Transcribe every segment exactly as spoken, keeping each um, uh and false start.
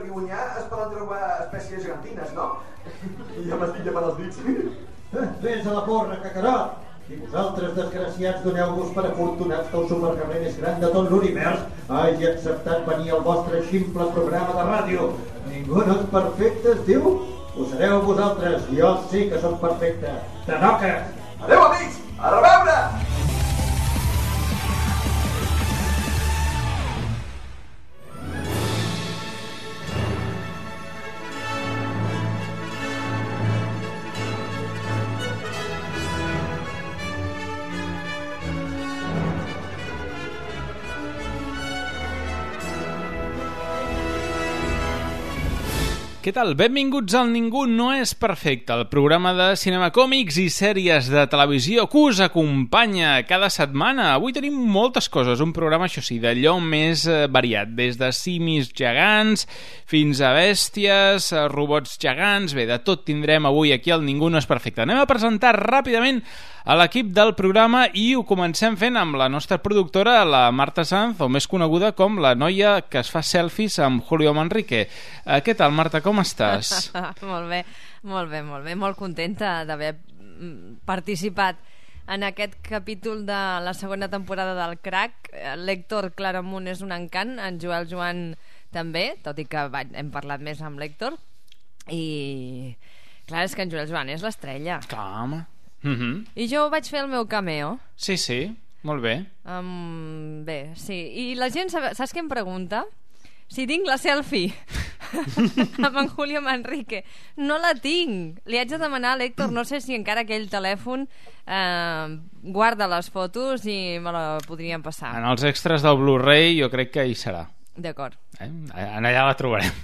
Guionyà es poden trobar espècies gegantines, no? I ja m'estic llepant els dits. Vés a la porra, cacarot! I vosaltres, desgraciats, doneu-vos per afortunats que el supercarrer més gran de tot l'univers hagi acceptat venir al vostre ximple programa de ràdio. Ningú no és perfecte, es diu? Ho sereu vosaltres, jo sí que sóc perfecte. Tanoques! Adéu, amics! A reveure! Què tal? Benvinguts al Ningú no és perfecte, el programa de cinema, còmics i sèries de televisió que us acompanya cada setmana. Avui tenim moltes coses, un programa, això sí, d'allò més variat, des de simis gegants fins a bèsties, robots gegants, bé, de tot tindrem avui aquí al Ningú no és perfecte. Anem a presentar ràpidament a l'equip del programa i ho comencem fent amb la nostra productora, la Marta Sanz, o més coneguda com la noia que es fa selfies amb Julio Manrique. Uh, què tal, Marta, com estàs? Molt bé, molt bé, molt bé. Molt contenta d'haver participat en aquest capítol de la segona temporada del Crac. L'Héctor Claramunt és un encant, en Joel Joan també, tot i que hem parlat més amb l'Héctor. I clar, és que en Joel Joan és l'estrella. Clar, home. Mm-hmm. I jo vaig fer el meu cameo. Sí, sí, molt bé. Um, bé, sí. I la gent, sabe, saps què em pregunta? Si tinc la selfie amb en Julio Manrique. No la tinc. Li haig de demanar a l'Héctor, no sé si encara aquell telèfon eh, guarda les fotos i me la podrien passar. En els extras del Blu-ray jo crec que hi serà. D'acord. Eh? En allà la trobarem.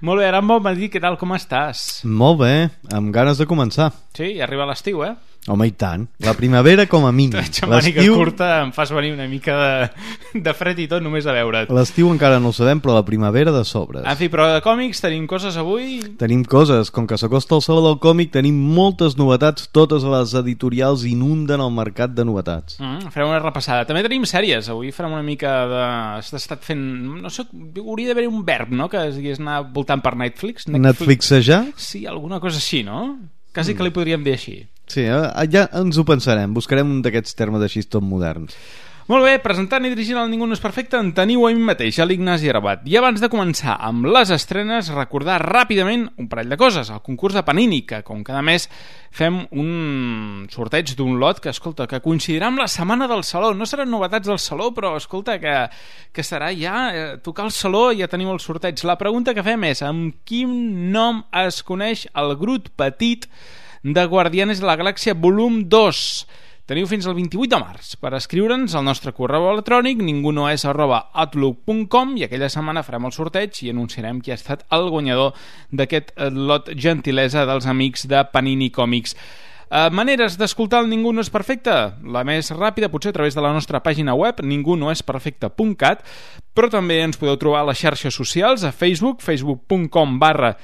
Molt bé, ara em vol dir què tal, com estàs? Molt bé, amb ganes de començar. Sí, i arriba l'estiu, eh? Home, i tant. La primavera com a mínim. Xamànica curta em fas venir una mica de, de fred i tot només a veure't. L'estiu encara no ho sabem, però la primavera de sobres. En fi, però de còmics tenim coses avui? Tenim coses. Com que s'acosta el Saló del Còmic, tenim moltes novetats. Totes les editorials inunden el mercat de novetats. Mm, farem una repassada. També tenim sèries. Avui farem una mica de... Has estat fent... No sé, hauria d'haver un verb, no?, que es digués anar voltant per Netflix. Netflix. Netflixejar? Sí, alguna cosa així, no? Quasi mm. que li podríem dir així. Sí, ja ens ho pensarem. Buscarem un d'aquests termes així tot moderns. Molt bé, presentant i dirigint el Ningú no és perfecte en teniu a mi mateix, a l'Ignasi Arabat. I abans de començar amb les estrenes, recordar ràpidament un parell de coses. El concurs de Panini, que com cada mes fem un sorteig d'un lot que, escolta, que coincidirà amb la setmana del Saló. No seran novetats del Saló, però, escolta, que, que serà ja eh, tocar el Saló i ja tenim el sorteig. La pregunta que fem és, amb quin nom es coneix el Groot petit de Guardianes de la Galàxia volum dos? Teniu fins al vint-i-vuit de març per escriure'ns al nostre correu electrònic ningunoes arroba outlook punt com i aquella setmana farem el sorteig i anunciarem qui ha estat el guanyador d'aquest lot gentilesa dels amics de Panini Còmics. Uh, maneres d'escoltar el Ningú no és perfecte? La més ràpida potser a través de la nostra pàgina web ningú no és perfecte punt cat, però també ens podeu trobar a les xarxes socials, a Facebook, facebook punt com barra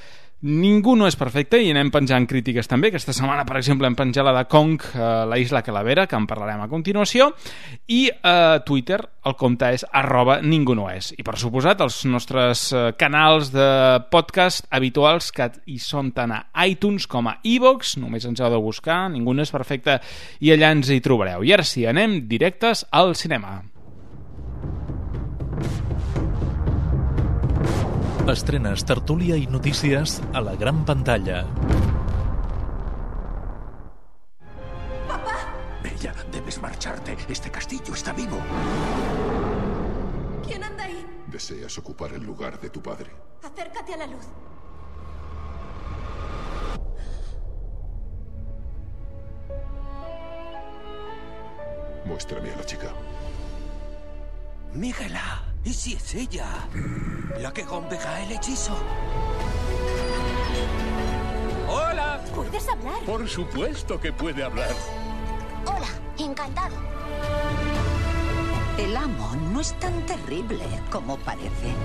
Ningú no és perfecte, i anem penjant crítiques també. Aquesta setmana, per exemple, hem penjat la de Kong, eh, la Isla Calavera, que en parlarem a continuació, i a eh, Twitter el compte és arroba ningú no és. I per suposat els nostres eh, canals de podcast habituals, que hi són tant a iTunes com a iVoox, només ens heu de buscar, Ningú no és perfecte, i allà ens hi trobareu. I ara sí, anem directes al cinema. Estrenes, tertúlia i notícies a la gran pantalla. ¡Papá! Bella, debes marcharte. Este castillo está vivo. ¿Quién anda ahí? Deseas ocupar el lugar de tu padre. Acércate a la luz. Muéstrame a la chica. Mírala. ¿Y si es ella? La que romperá el hechizo. ¡Hola! ¿Puedes hablar? Por supuesto que puede hablar. Hola, encantado. El amo no es tan terrible como parece.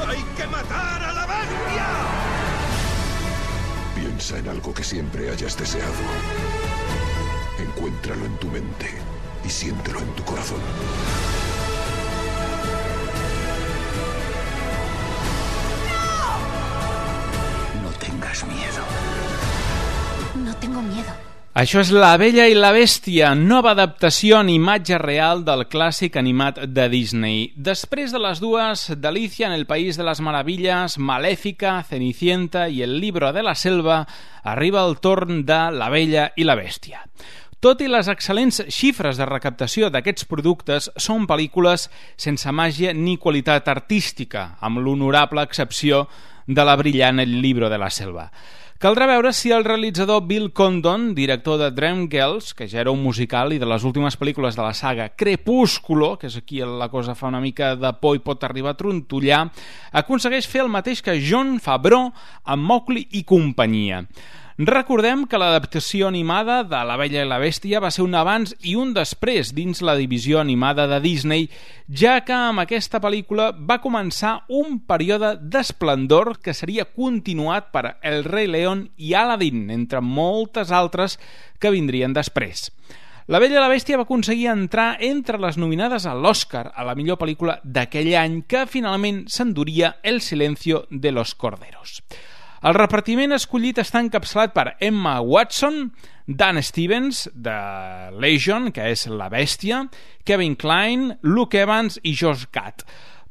¡Hay que matar a la bestia! Piensa en algo que siempre hayas deseado. Encuéntralo en tu mente y siéntelo en tu corazón. No tengas miedo. No tengo miedo. Això és La Bella i la Bèstia, nova adaptació en imatge real del clàssic animat de Disney. Després de les dues d'Alicia en el País de les Meravilles, Malèfica, Cenicienta i El Libro de la Selva, arriba el torn de La Bella i la Bèstia. Tot i les excel·lents xifres de recaptació d'aquests productes, són pel·lícules sense màgia ni qualitat artística, amb l'honorable excepció de la brillant El Libro de la Selva. Caldrà veure si el realitzador Bill Condon, director de Dreamgirls, que ja era un musical i de les últimes pel·lícules de la saga Crepúsculo, que és aquí la cosa fa una mica de por i pot arribar a trontollar, aconsegueix fer el mateix que Jon Favreau amb Mowgli i companyia. Recordem que l'adaptació animada de La Bella i la Bèstia va ser un abans i un després dins la divisió animada de Disney, ja que amb aquesta pel·lícula va començar un període d'esplendor que seria continuat per El Rei León i Aladdin, entre moltes altres que vindrien després. La Bella i la Bèstia va aconseguir entrar entre les nominades a l'Oscar a la millor pel·lícula d'aquell any, que finalment s'enduria El silencio de los corderos. El repartiment escollit està encapçalat per Emma Watson, Dan Stevens, de Legion, que és la Bèstia, Kevin Kline, Luke Evans i Josh Gad.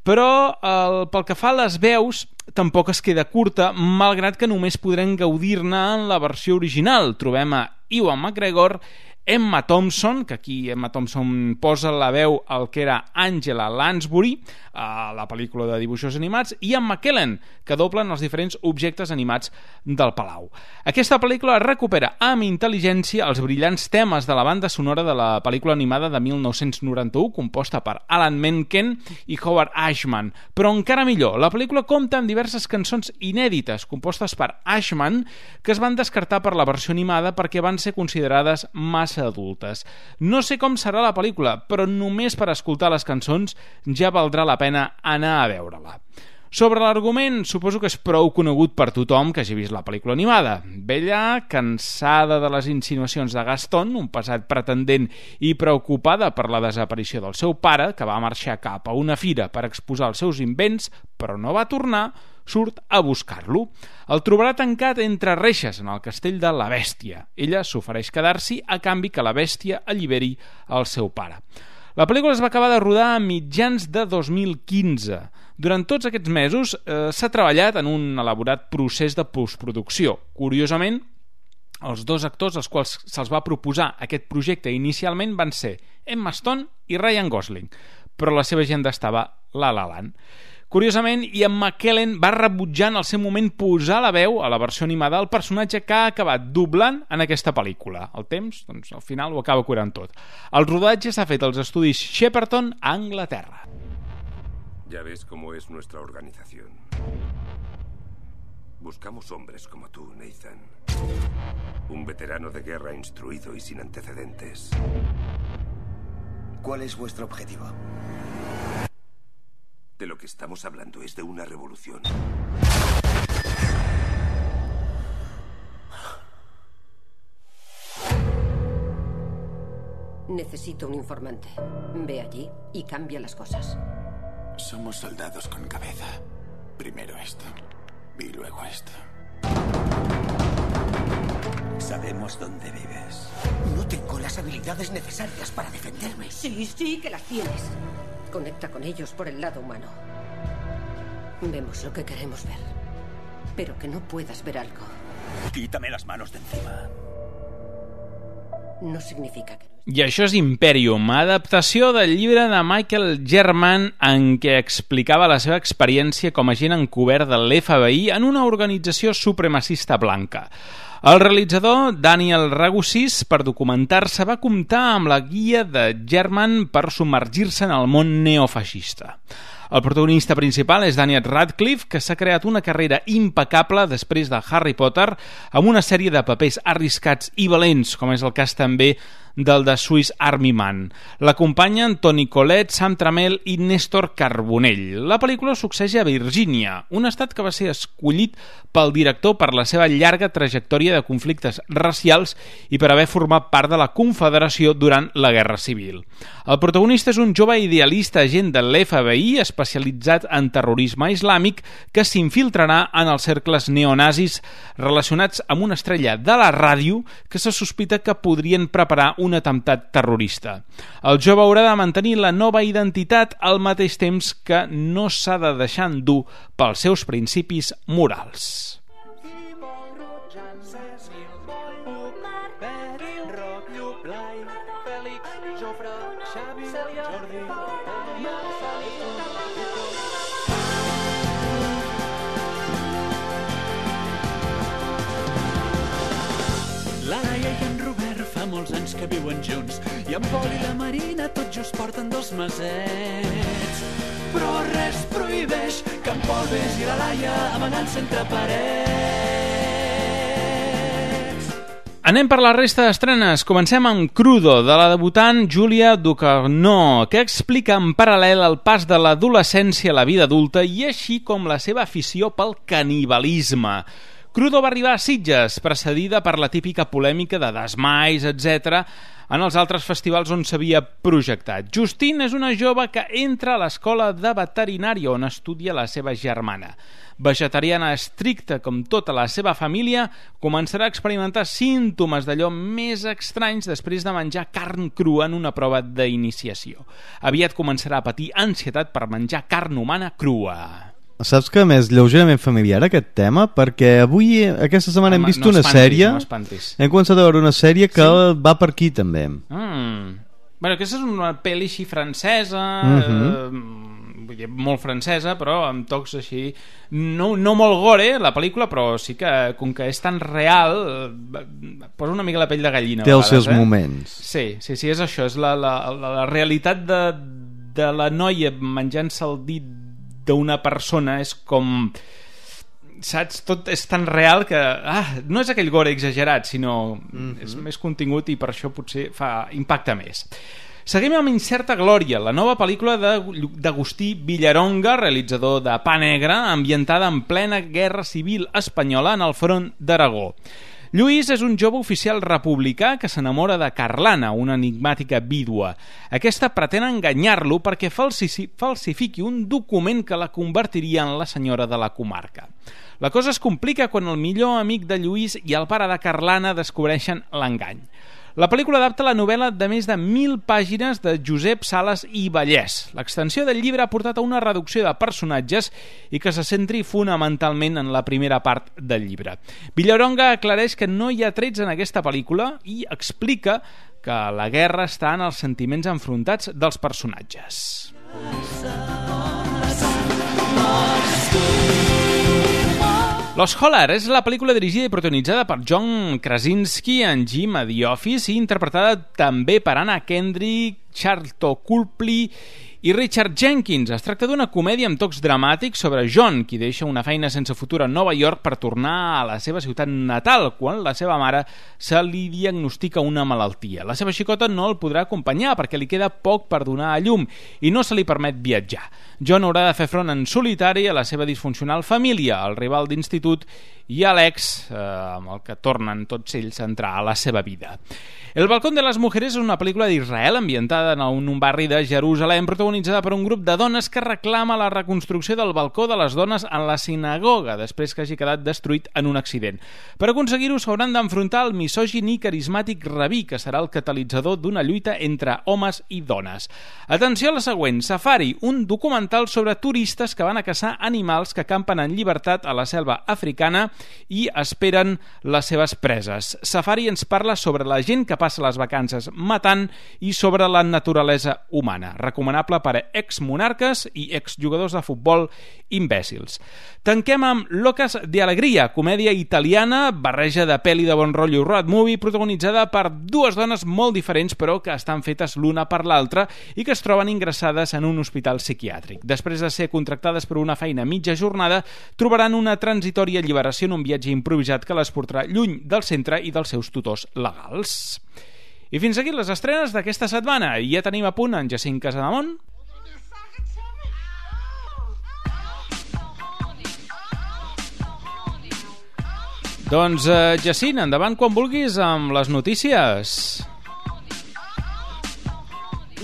Però el, pel que fa a les veus, tampoc es queda curta, malgrat que només podrem gaudir-ne en la versió original. Trobem a Ewan McGregor, Emma Thompson, que aquí Emma Thompson posa la veu al que era Angela Lansbury a la pel·lícula de dibuixos animats, i en McKellen, que doblen els diferents objectes animats del Palau. Aquesta pel·lícula recupera amb intel·ligència els brillants temes de la banda sonora de la pel·lícula animada de mil nou-cents noranta-u, composta per Alan Menken i Howard Ashman. Però encara millor, la pel·lícula compta amb diverses cançons inèdites compostes per Ashman, que es van descartar per la versió animada perquè van ser considerades massa adultes. No sé com serà la pel·lícula, però només per escoltar les cançons ja valdrà la pena anar a veure-la. Sobre l'argument, suposo que és prou conegut per tothom que hagi vist la pel·lícula animada. Bella, cansada de les insinuacions de Gaston, un pesat pretendent i preocupada per la desaparició del seu pare, que va marxar cap a una fira per exposar els seus invents, però no va tornar, surt a buscar-lo. El trobarà tancat entre reixes en el castell de la Bèstia. Ella s'ofereix quedar-s'hi a canvi que la Bèstia alliberi el seu pare. La pel·lícula es va acabar de rodar a mitjans de dos mil quinze. Durant tots aquests mesos eh, s'ha treballat en un elaborat procés de postproducció. Curiosament, els dos actors als quals se'ls va proposar aquest projecte inicialment van ser Emma Stone i Ryan Gosling, però la seva agenda estava La La Land. Curiosament, Ian McKellen va rebutjar en el seu moment posar la veu a la versió animada del personatge que ha acabat doblant en aquesta pel·lícula. El temps, doncs, al final ho acaba curant tot. El rodatge s'ha fet als estudis Shepperton, a Anglaterra. Ya ves cómo es nuestra organización. Buscamos hombres como tú, Nathan. Un veterano de guerra instruido y sin antecedentes. ¿Cuál es vuestro objetivo? De lo que estamos hablando es de una revolución. Necesito un informante. Ve allí y cambia las cosas. Somos soldados con cabeza. Primero esto y luego esto. Sabemos dónde vives. No tengo las habilidades necesarias para defenderme. Sí, sí que las tienes. Conecta con ellos por el lado humano. Vemos lo que queremos ver. Pero que no puedas ver algo Quítame las manos de encima. no significa que... I això és Imperium, adaptació del llibre de Michael German en què explicava la seva experiència com a agent encobert de l'F B I en una organització supremacista blanca. El realitzador Daniel Ragusis, per documentar-se, va comptar amb la guia de German per submergir-se en el món neofeixista. El protagonista principal és Daniel Radcliffe, que s'ha creat una carrera impecable després de Harry Potter amb una sèrie de papers arriscats i valents, com és el cas també del de Swiss Army Man. L'acompanyen Toni Collette, Sam Trammell i Néstor Carbonell. La pel·lícula succeeix a Virgínia, un estat que va ser escollit pel director per la seva llarga trajectòria de conflictes racials i per haver format part de la Confederació durant la Guerra Civil. El protagonista és un jove idealista agent de l'F B I especialitzat en terrorisme islàmic que s'infiltrarà en els cercles neonazis relacionats amb una estrella de la ràdio que se sospita que podrien preparar un atemptat terrorista. El jove haurà de mantenir la nova identitat al mateix temps que no s'ha de deixar endur pels seus principis morals. La Laia i en Robert fa molts anys que viuen junts i en Pol i la Marina tot just porten dos mesets. Però res prohibeix que en Pol vegi la Laia amagant-se entre parets. Anem per la resta d'estrenes. Comencem amb Crudo, de la debutant Julia Ducournau, que explica en paral·lel el pas de l'adolescència a la vida adulta i així com la seva afició pel canibalisme. Crudo va arribar a Sitges, precedida per la típica polèmica de Desmais, etcètera, en els altres festivals on s'havia projectat. Justine és una jove que entra a l'escola de veterinària on estudia la seva germana. Vegetariana estricta com tota la seva família, començarà a experimentar símptomes d'allò més estranys després de menjar carn crua en una prova d'iniciació. Aviat començarà a patir ansietat per menjar carn humana crua. Saps que m'és lleugerament familiar aquest tema? Perquè avui, aquesta setmana, hem vist no una espantis, sèrie no espantis. Hem començat a veure una sèrie que sí? va per aquí també. Mm. Bueno, aquesta és una pel·li així francesa, mm-hmm. eh, vull dir, molt francesa, però amb tocs així no, no molt gore la pel·lícula, però sí que com que és tan real posa una mica la pell de gallina. Té els seus eh? moments. Sí, sí, sí, és això, és la, la, la, la realitat de, de la noia menjant-se el dit d'una persona, és com, saps, tot és tan real que ah, no és aquell gore exagerat, sinó mm-hmm. és més contingut i per això potser fa impacte més. Seguim amb Incerta Glòria, la nova pel·lícula d'Agustí Villaronga, realitzador de Pa Negre, ambientada en plena guerra civil espanyola en el front d'Aragó. Lluís és un jove oficial republicà que s'enamora de Carlana, una enigmàtica vídua. Aquesta pretén enganyar-lo perquè falsifiqui un document que la convertiria en la senyora de la comarca. La cosa es complica quan el millor amic de Lluís i el pare de Carlana descobreixen l'engany. La pel·lícula adapta la novel·la de més de mil pàgines de Josep Sales i Vallès. L'extensió del llibre ha portat a una reducció de personatges i que se centri fonamentalment en la primera part del llibre. Villaronga aclareix que no hi ha trets en aquesta pel·lícula i explica que la guerra està en els sentiments enfrontats dels personatges. Los Holler és la pel·lícula dirigida i protagonitzada per John Krasinski en Jim a The Office i interpretada també per Anna Kendrick, Charlton Copley i Richard Jenkins. Es tracta d'una comèdia amb tocs dramàtics sobre John, qui deixa una feina sense futur a Nova York per tornar a la seva ciutat natal quan la seva mare se li diagnostica una malaltia. La seva xicota no el podrà acompanyar perquè li queda poc per donar a llum i no se li permet viatjar. John haurà de fer front en solitari a la seva disfuncional família, al rival d'institut i a l'ex, eh, amb el que tornen tots ells a entrar a la seva vida. El balcón de les mujeres és una pel·lícula d'Israel ambientada en un barri de Jerusalem protagonitzada per un grup de dones que reclama la reconstrucció del balcó de les dones en la sinagoga després que hagi quedat destruït en un accident. Per aconseguir-ho s'hauran d'enfrontar al misògin i carismàtic rabí, que serà el catalitzador d'una lluita entre homes i dones. Atenció a la següent, Safari, un documental sobre turistes que van a caçar animals que campen en llibertat a la selva africana i esperen les seves preses. Safari ens parla sobre la gent que passa les vacances matant i sobre la naturalesa humana. Recomanable per a exmonarques i exjugadors de futbol imbècils. Tanquem amb Locas de Alegria, comèdia italiana, barreja de pel·li de bon rotllo road movie, protagonitzada per dues dones molt diferents però que estan fetes l'una per l'altra i que es troben ingressades en un hospital psiquiàtric. Després de ser contractades per una feina a mitja jornada, trobaran una transitòria alliberació en un viatge improvisat que les portarà lluny del centre i dels seus tutors legals. I fins aquí les estrenes d'aquesta setmana. I ja tenim a punt en Jacint Casademont. Doncs, eh, Jacint, endavant quan vulguis amb les notícies.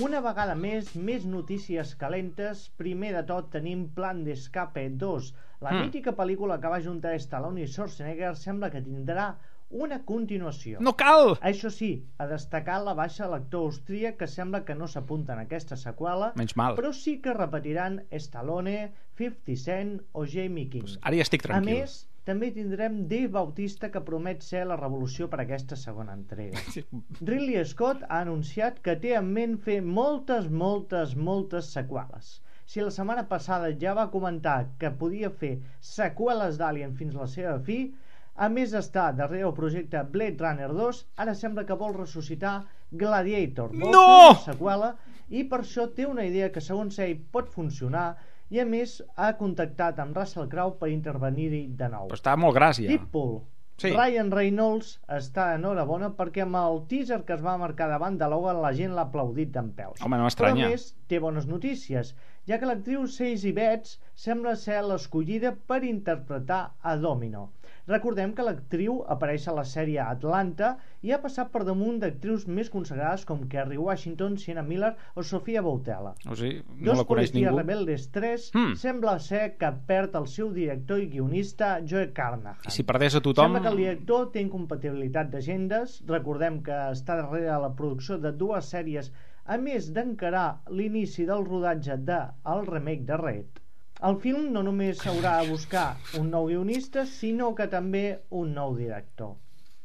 Una vegada més, més notícies calentes. Primer de tot tenim Plan d'Escape dos. La mm. mítica pel·lícula que va juntar Stallone i Schwarzenegger sembla que tindrà una continuació. No cal! Això sí, a destacar la baixa l'actor austríac, que sembla que no s'apunta en aquesta seqüela, menys mal, però sí que repetiran Stallone, fifty cent o Jamie King. Pues ara ja estic tranquil. A més, també tindrem Dave Bautista, que promet ser la revolució per a aquesta segona entrega. Sí. Ridley Scott ha anunciat que té en ment fer moltes, moltes, moltes seqüeles. Si la setmana passada ja va comentar que podia fer seqüeles d'Alien fins a la seva fi, a més d'estar darrere el projecte Blade Runner dos, ara sembla que vol ressuscitar Gladiator. Vol no! fer una seqüela i per això té una idea que segons ell pot funcionar, i a més ha contactat amb Russell Crowe per intervenir-hi de nou. Però està molt gràcia. Deadpool. Sí. Ryan Reynolds està enhorabona perquè amb el teaser que es va marcar davant de Logan la gent l'ha aplaudit dempeus. Home, no m'estranya. Però a més té bones notícies, ja que l'actriu Stacey Betts sembla ser l'escollida per interpretar a Domino. Recordem que l'actriu apareix a la sèrie Atlanta i ha passat per damunt d'actrius més consagrades com Kerry Washington, Sienna Miller o Sofia Boutella. O sigui, no la coneix ningú. Dos Policies Rebeldes tres hmm. sembla ser que perd el seu director i guionista Joe Carnahan. I si perdés a tothom... Sembla que el director té incompatibilitat d'agendes. Recordem que està darrere la producció de dues sèries, a més d'encarar l'inici del rodatge de el remake de Red. El film no només haurà de buscar un nou guionista, sinó que també un nou director.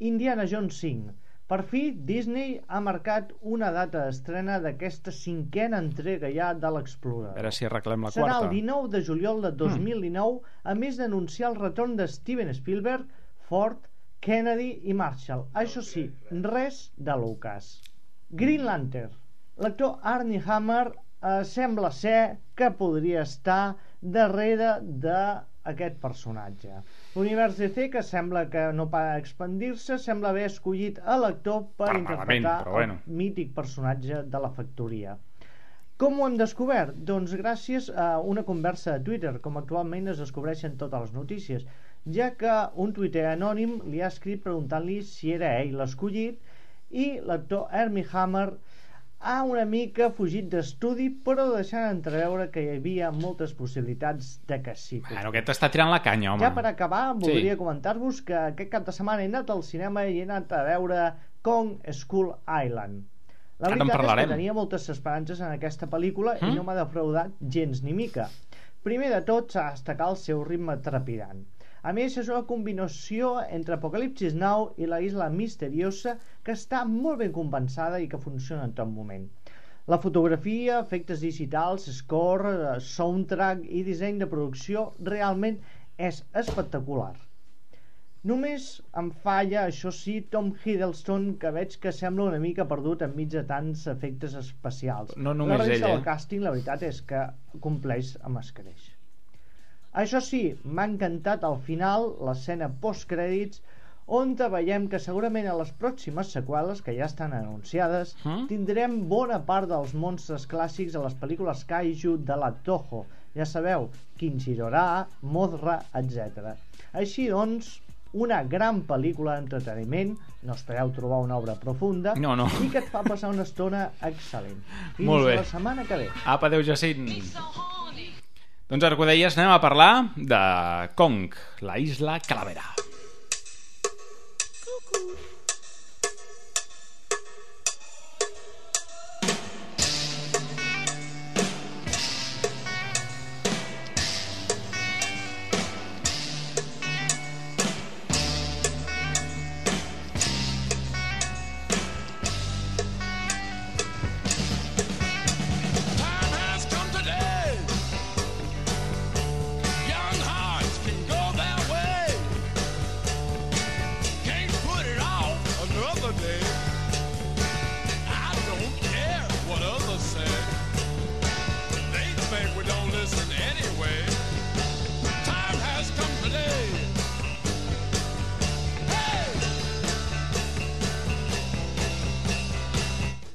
Indiana Jones cinc. Per fi, Disney ha marcat una data d'estrena d'aquesta cinquena entrega ja de l'Explorer. A veure si arreglem la Serà quarta. Serà el dinou de juliol de dos mil dinou, mm. a més d'anunciar el retorn de Steven Spielberg, Ford, Kennedy i Marshall. Això sí, res de Lucas. Green Lantern. L'actor Armie Hammer eh, sembla ser que podria estar darrere d'aquest personatge. L'univers D C, que sembla que no para d'expandir-se, sembla haver escollit a l'actor per ah, interpretar però bueno. el mític personatge de la factoria. Com ho hem descobert? Doncs gràcies a una conversa de Twitter, com actualment es descobreixen totes les notícies, ja que un tuiter anònim li ha escrit preguntant-li si era ell l'escollit, i l'actor Armie Hammer ha una mica fugit d'estudi, però deixant entreveure que hi havia moltes possibilitats de que sí. Bueno, aquest està tirant la canya, home. Ja per acabar, voldria sí. comentar-vos que aquest cap de setmana he anat al cinema i he anat a veure Kong Skull Island. La Ara veritat és que tenia moltes esperances en aquesta pel·lícula mm? i no m'ha defraudat gens ni mica. Primer de tot s'ha de destacar el seu ritme trepidant. A més, és una combinació entre Apocalipsis Now i la Isla Misteriosa que està molt ben compensada i que funciona en tot moment. La fotografia, efectes digitals, score, soundtrack i disseny de producció realment és espectacular. Només em falla, això sí, Tom Hiddleston, que veig que sembla una mica perdut enmig de tants efectes especials. No només la resta ell, del eh? càsting, la veritat és que compleix amb escreix. Això sí, m'ha encantat al final l'escena postcrèdits, on veiem que segurament a les pròximes seqüeles, que ja estan anunciades, mm? tindrem bona part dels monstres clàssics a les pel·lícules Kaiju de la Toho. Ja sabeu, Kinshirora, Mothra, etcètera. Així doncs, una gran pel·lícula d'entreteniment, no espereu trobar una obra profunda, no, no. i que et fa passar una estona excel·lent. Fins Molt bé. la setmana que ve. Apa, adéu, Jacint. Doncs ara que ho deies, anem a parlar de Kong, la Isla Calavera.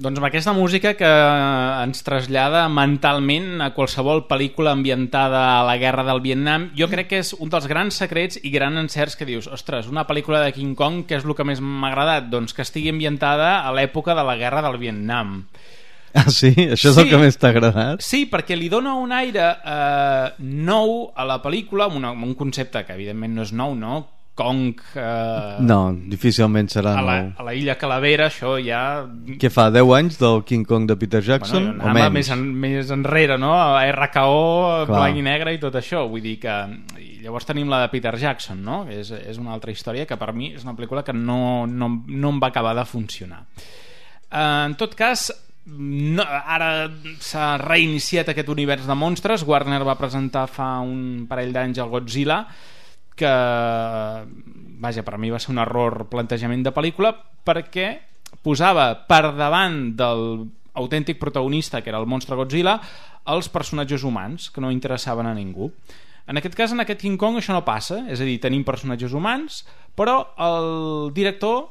Doncs amb aquesta música que ens trasllada mentalment a qualsevol pel·lícula ambientada a la guerra del Vietnam, jo crec que és un dels grans secrets i grans encerts que dius, ostres, una pel·lícula de King Kong, què és el que més m'ha agradat? Doncs que estigui ambientada a l'època de la guerra del Vietnam. Ah, sí? Això és sí, el que més t'ha agradat? Sí, perquè li dona un aire eh, nou a la pel·lícula, amb, una, amb un concepte que evidentment no és nou, no? Kong... Eh, no, difícilment serà a la, nou. A la illa Calavera, això ja... Què fa, deu anys del King Kong de Peter Jackson? Bueno, o menys? Més, en, més enrere, no? A R K O, blanc i negre i tot això. Vull dir que... I llavors tenim la de Peter Jackson, no? És, és una altra història que per mi és una pel·lícula que no, no, no em va acabar de funcionar. Eh, en tot cas... No, ara s'ha reiniciat aquest univers de monstres. Warner va presentar fa un parell d'anys el Godzilla, que vaja, per a mi va ser un error plantejament de pel·lícula, perquè posava per davant del autèntic protagonista, que era el monstre Godzilla, els personatges humans que no interessaven a ningú. En aquest cas, en aquest King Kong, això no passa, és a dir, tenim personatges humans, però el director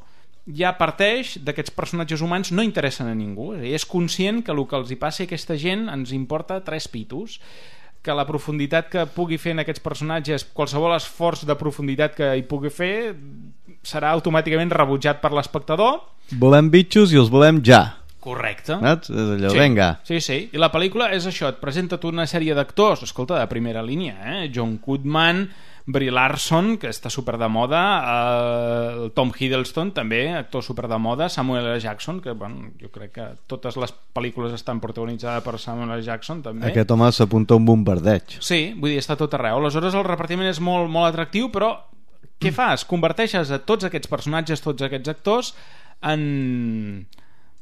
ja parteix d'aquests personatges humans no interessen a ningú, és, dir, és conscient que el que els hi passi a aquesta gent ens importa tres pitos, que la profunditat que pugui fer en aquests personatges, qualsevol esforç de profunditat que hi pugui fer serà automàticament rebutjat per l'espectador. Volem bitxos i els volem ja. Correcte. Saps? És allò, sí, venga. Sí, sí, i la pel·lícula és això, et presenta tota una sèrie d'actors, escolta, de primera línia, eh? John Goodman, Brie Larson, que està super de moda, eh, Tom Hiddleston també, actor super de moda, Samuel L. Jackson, que bueno, jo crec que totes les pel·lícules estan protagonitzades per Samuel L. Jackson també. Aquest home s'apunta un bombardeig. Sí, vull dir, està tot arreu. Aleshores el repartiment és molt, molt atractiu, però què fas? Converteixes a tots aquests personatges, tots aquests actors en...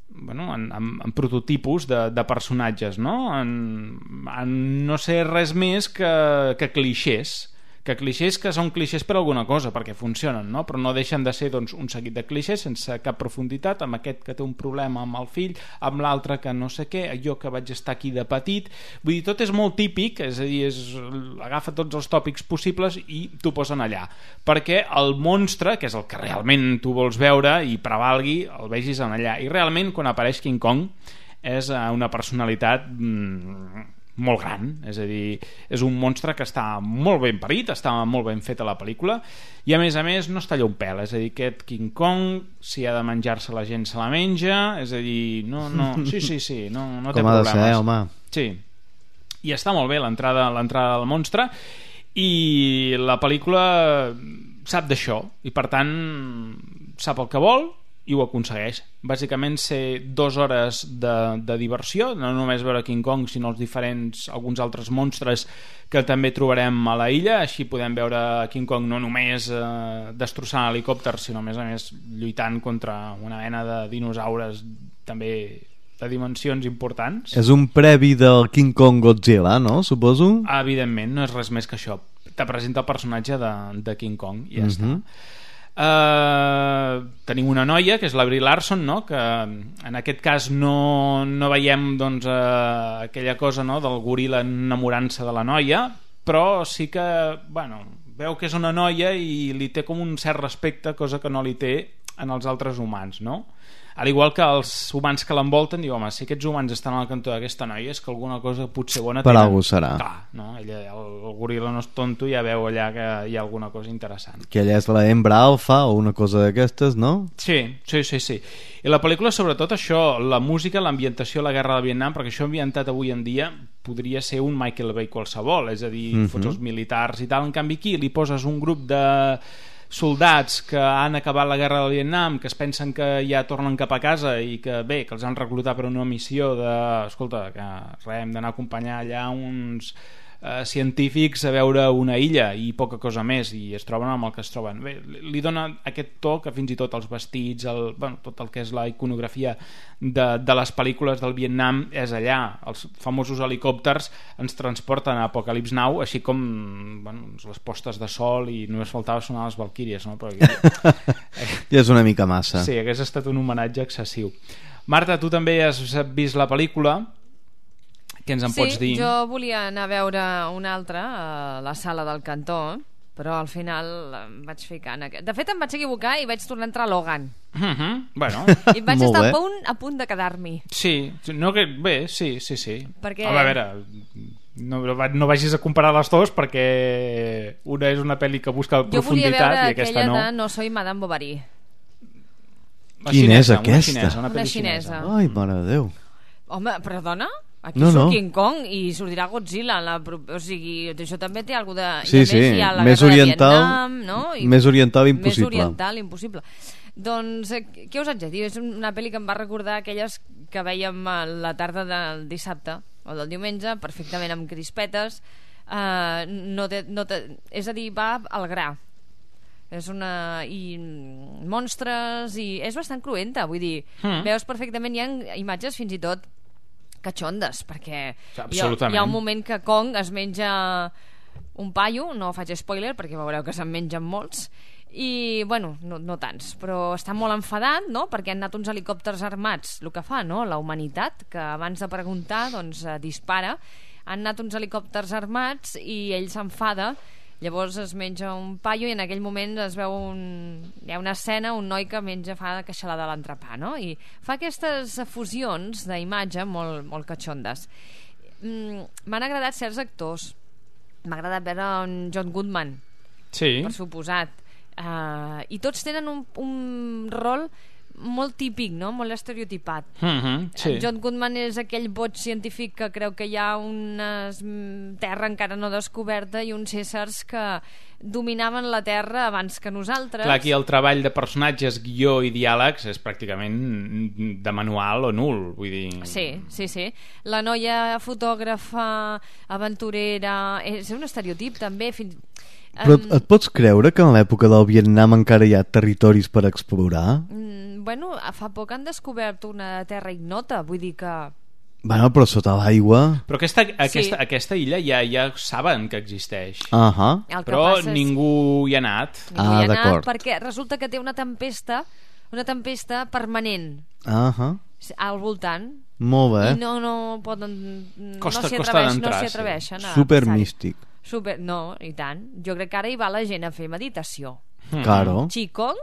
bueno, en, en, en prototipus de, de personatges, no? En, en no ser res més que, que clixés que clixés que són clixés per alguna cosa, perquè funcionen, no? Però no deixen de ser doncs, un seguit de clixés sense cap profunditat, amb aquest que té un problema amb el fill, amb l'altre que no sé què, jo que vaig estar aquí de petit, vull dir, tot és molt típic, és a dir, és, agafa tots els tòpics possibles i t'ho posen allà, perquè el monstre, que és el que realment tu vols veure i prevalgui, el vegis en allà, i realment quan apareix King Kong és una personalitat mmm, molt gran, és a dir, és un monstre que està molt ben parit, està molt ben fet a la pel·lícula i a més a més no es talla un pèl, és a dir, aquest King Kong, si ha de menjar-se la gent se la menja, és a dir, no, no, sí, sí, sí, no, no té com ha de problemes. ser, home. Sí, i està molt bé l'entrada l'entrada del monstre i la pel·lícula sap d'això i per tant sap el que vol i ho aconsegueix. Bàsicament ser dues hores de, de diversió, no només veure King Kong sinó els diferents, alguns altres monstres que també trobarem a la illa, així podem veure King Kong no només eh, destrossant helicòpters sinó a més a més lluitant contra una mena de dinosaures també de dimensions importants. És un previ del King Kong Godzilla, no? Suposo? Evidentment, no és res més que això. Te presenta el personatge de, de King Kong i ja Mm-hmm. està. Uh, tenim una noia que és la Brie Larson, no? Que en aquest cas no, no veiem doncs, uh, aquella cosa, no? Del goril·la enamorant-se de la noia, però sí que bueno, veu que és una noia i li té com un cert respecte, cosa que no li té en els altres humans, no? Al igual que els humans que l'envolten diu, home, si aquests humans estan al cantó d'aquesta noia és que alguna cosa potser bona per tenen. algú serà. Clar, no? Ella, el, el goril·la no és tonto, ja veu allà que hi ha alguna cosa interessant. Que ella és la hembra alfa o una cosa d'aquestes, no? Sí, sí, sí, sí. I la pel·lícula sobretot això, la música, l'ambientació, la guerra del Vietnam, perquè això ambientat avui en dia podria ser un Michael Bay qualsevol, és a dir, mm-hmm. fots els militars i tal, en canvi aquí li poses un grup de soldats que han acabat la guerra del Vietnam, que es pensen que ja tornen cap a casa i que bé, que els han reclutat per una missió de, escolta, que res, hem d'anar a acompanyar allà uns eh, científics a veure una illa i poca cosa més, i es troben amb el que es troben. Bé, li dona aquest to que fins i tot els vestits, el, bueno, tot el que és la iconografia de, de les pel·lícules del Vietnam és allà. Els famosos helicòpters ens transporten a Apocalypse Now, així com bueno, les postes de sol, i només faltava sonar les Valquíries, no? Però aquí... ja és una mica massa. Sí, hagués estat un homenatge excessiu. Marta, tu també has vist la pel·lícula. Què ens en sí, pots dir? Sí, jo volia anar a veure una altra a la sala del Cantó, però al final em vaig ficar en aquest. De fet, em vaig equivocar i vaig tornar a entrar a Logan. Mm-hmm. Bueno. I vaig estar a punt, a punt de quedar-m'hi. Sí, no que... bé, sí, sí, sí. Perquè... Home, a veure, no, no vagis a comparar les dues perquè una és una pel·li que busca profunditat i aquesta no. Jo volia veure aquella de No soy Madame Bovary. Quina és aquesta? Una xinesa, una, una xinesa. xinesa. Ai, mare de Déu. Home, perdona? Aquí no, surt no. King Kong i sortirà Godzilla, la, o sigui, això també té alguna de... Sí, sí, més oriental, Vietnam, no? I més oriental impossible. Més oriental impossible. Doncs, què us haig de dir? És una pel·li que em va recordar aquelles que vèiem a la tarda del dissabte o del diumenge, perfectament amb crispetes, uh, no té, no té, és a dir, va al gra. És una... i monstres i és bastant cruenta, vull dir, mm. veus perfectament, hi ha imatges fins i tot catxondes, perquè hi ha, hi ha un moment que Kong es menja un paio, no faig spoiler perquè veureu que se'n mengen molts i, bueno, no, no tants, però està molt enfadat, no?, perquè han anat uns helicòpters armats, el que fa, no?, la humanitat, que abans de preguntar, doncs, eh, dispara, han anat uns helicòpters armats i ell s'enfada. Llavors es menja un paio i en aquell moment es veu un... hi ha una escena, un noi que menja, fa queixalada a l'entrepà, no? I fa aquestes fusions d'imatge molt, molt catxondes. Mm, m'han agradat certs actors. M'ha agradat veure un John Goodman, sí. per suposat. Uh, I tots tenen un, un rol molt típic, no? Molt estereotipat. Mm-hmm, sí. John Goodman és aquell boig científic que creu que hi ha una terra encara no descoberta i uns éssers que dominaven la terra abans que nosaltres. Clar, aquí el treball de personatges, guió i diàlegs és pràcticament de manual o nul, vull dir... Sí, sí, sí. La noia fotògrafa, aventurera... És un estereotip també... Fins... Però et, et pots creure que en l'època del Vietnam encara hi ha territoris per explorar? Mm, bueno, fa poc han descobert una terra ignota, vull dir que... Bueno, però sota l'aigua... Però aquesta, aquesta, sí. aquesta illa ja ja saben que existeix. Uh -huh. Però ningú hi ha anat. Ningú ah, hi ha anat perquè resulta que té una tempesta, una tempesta permanent uh -huh. al voltant. Molt bé. I no, no poden... Costa, no s'hi costa atreveix, d'entrar, no s'hi sí. atreveixen. Super místic. Super, no, i tant. Jo crec que ara hi va la gent a fer meditació. Mm. Claro. Qigong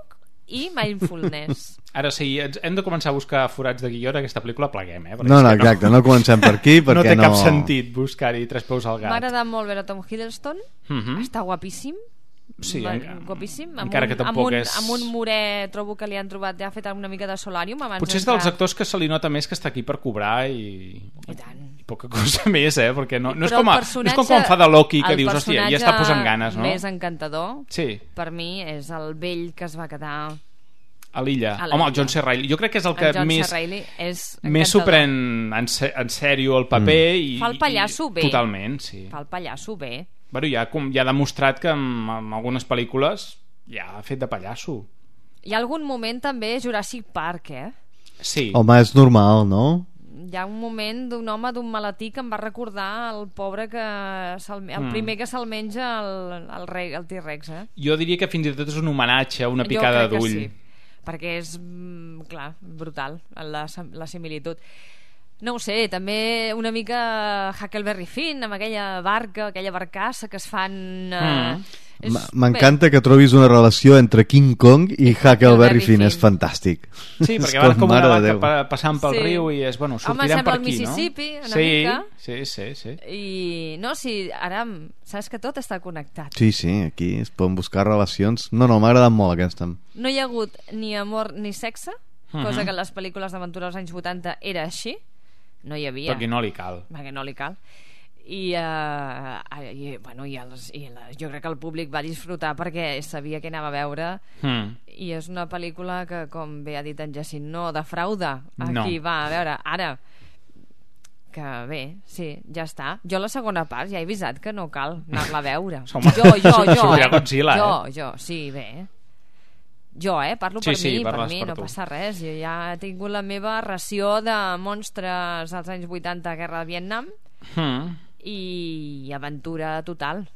i mindfulness. Ara sí, hem de començar a buscar forats de guió d'aquesta pel·lícula, pleguem, eh? No, no, exacte, no, no comencem per aquí perquè no té no... cap sentit buscar-hi tres peus al gat. M'ha agradat molt veure Tom Hiddleston, mm-hmm. està guapíssim. Sí, Va, en... guapíssim. Amb encara un, que tampoc amb un, és... amb un morer trobo que li han trobat, ja ha fet una mica de solàrium abans. Potser és dels actors que se li nota més que està aquí per cobrar i... I tant. I poca cosa més, eh? Perquè no, no, és, Però com a, no és com quan fa de Loki que dius, hòstia, ja està posant ganes, no? El personatge més encantador, sí. per mi, és el vell que es va quedar... A l'illa. Home, el John C. Reilly. Jo crec que és el que el més, és més s'ho pren en, se, en sèrio el paper. Mm. I, fa el pallasso bé. Totalment, sí. Fa el pallasso bé. Bueno, ja, com, ja ha demostrat que en, en algunes pel·lícules ja ha fet de pallasso. Hi ha algun moment també Jurassic Park, eh? Sí. Home, és normal, no? Hi ha un moment d'un home d'un maletí que em va recordar el pobre que el mm. primer que se'l menja el, el, rei, el T-Rex, eh? Jo diria que fins i tot és un homenatge, una picada d'ull. Sí, perquè és, clar, brutal la, la similitud. No ho sé, també una mica Huckleberry Finn amb aquella barca, aquella barcassa que es fan... Uh, mm. M'encanta que trobis una relació entre King Kong i Huckleberry Finn, és fantàstic. Sí, perquè van com una barca passant pel sí. riu i és, bueno, sortirem per aquí, no? Home, sembla el Mississippi, una sí, mica. Sí, sí, sí. I, no, sí, ara saps que tot està connectat. Sí, sí, aquí es poden buscar relacions. No, no, m'ha agradat molt aquesta. No hi ha hagut ni amor ni sexe, uh-huh. cosa que en les pel·lícules d'aventura dels anys vuitanta era així. No hi havia. Perquè no li cal. Perquè no li cal. I, uh, i, bueno, i, els, i la, jo crec que el públic va disfrutar perquè sabia què anava a veure mm. i és una pel·lícula que, com bé ha dit en Jacint, no defrauda a no. qui va a veure. Ara, que bé, sí, ja està. Jo la segona part ja he avisat que no cal anar-la a veure. jo, jo, jo, eh? Godzilla, jo, eh? jo, sí, bé. Jo, eh? Parlo sí, per sí, mi, per mi, per no tu. passa res. Jo ja he tingut la meva ració de monstres als anys vuitanta, guerra de Vietnam, mm. i aventura total.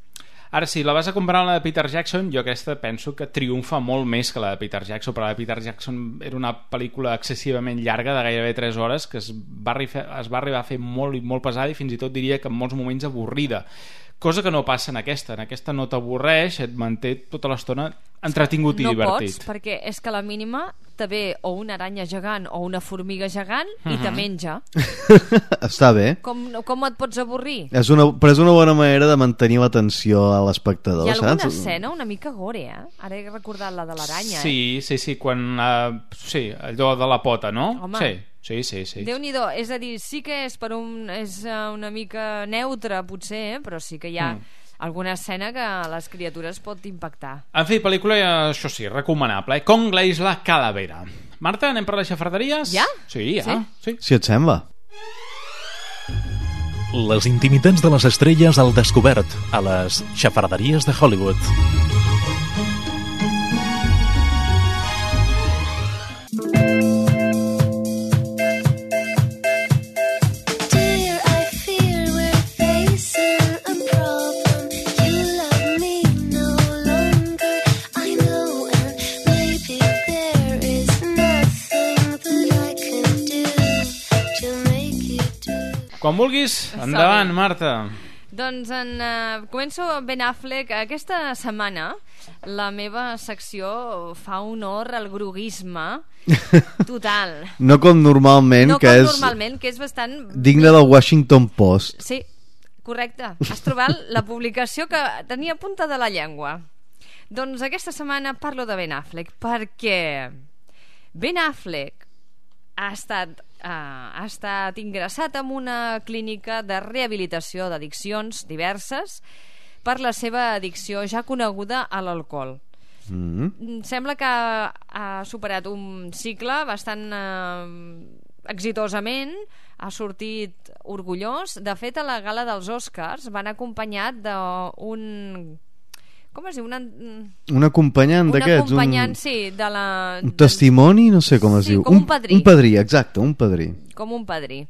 Ara sí, la vas a comparar amb la de Peter Jackson, jo aquesta penso que triomfa molt més que la de Peter Jackson, però la de Peter Jackson era una pel·lícula excessivament llarga, de gairebé tres hores, que es va, es va arribar a fer molt i molt pesada i fins i tot diria que en molts moments avorrida. cosa que no passa en aquesta. En aquesta no t'avorreix, et manté tota l'estona entretingut i no divertit. No pots, perquè és que a la mínima te ve o una aranya gegant o una formiga gegant i Mhm. te menja. Està bé. Com, com et pots avorrir? És una, però és una bona manera de mantenir l'atenció a l'espectador, Hi ha alguna saps? escena una mica gore, eh? Ara he recordat la de l'aranya, eh? Sí, sí, sí, quan... Uh, sí, allò de la pota, no? Home. Sí, sí, sí. sí. Déu-n'hi-do, és a dir, sí que és per un... és uh, una mica neutre, potser, eh? Però sí que hi ha Mm. alguna escena que a les criatures pot impactar. En fi, pel·lícula, això sí, recomanable. Eh? Conga Isla Calavera. Marta, anem per les xafarderies? Ja? Sí, ja. Sí. sí. Si et sembla. Les intimitats de les estrelles al descobert a les xafarderies de Hollywood. Quan vulguis, endavant, Marta. Doncs en, uh, començo amb Ben Affleck. Aquesta setmana la meva secció fa honor al groguisme total. No com normalment, no que com és normalment, que és bastant... digne del Washington Post. Sí, correcte. Has trobat la publicació que tenia punta de la llengua. Doncs aquesta setmana parlo de Ben Affleck perquè Ben Affleck ha estat... Uh, ha estat ingressat en una clínica de rehabilitació d'addiccions diverses per la seva addicció ja coneguda a l'alcohol. Mm. Sembla que ha, ha superat un cicle bastant uh, exitosament, ha sortit orgullós. De fet, a la gala dels Oscars van acompanyat d'un... com es diu? Una, un acompanyant un d'aquests, acompanyant, un, sí, de la... un testimoni, no sé com es sí, diu, com un padrí. un padrí, exacte, un padrí. Com un padrí.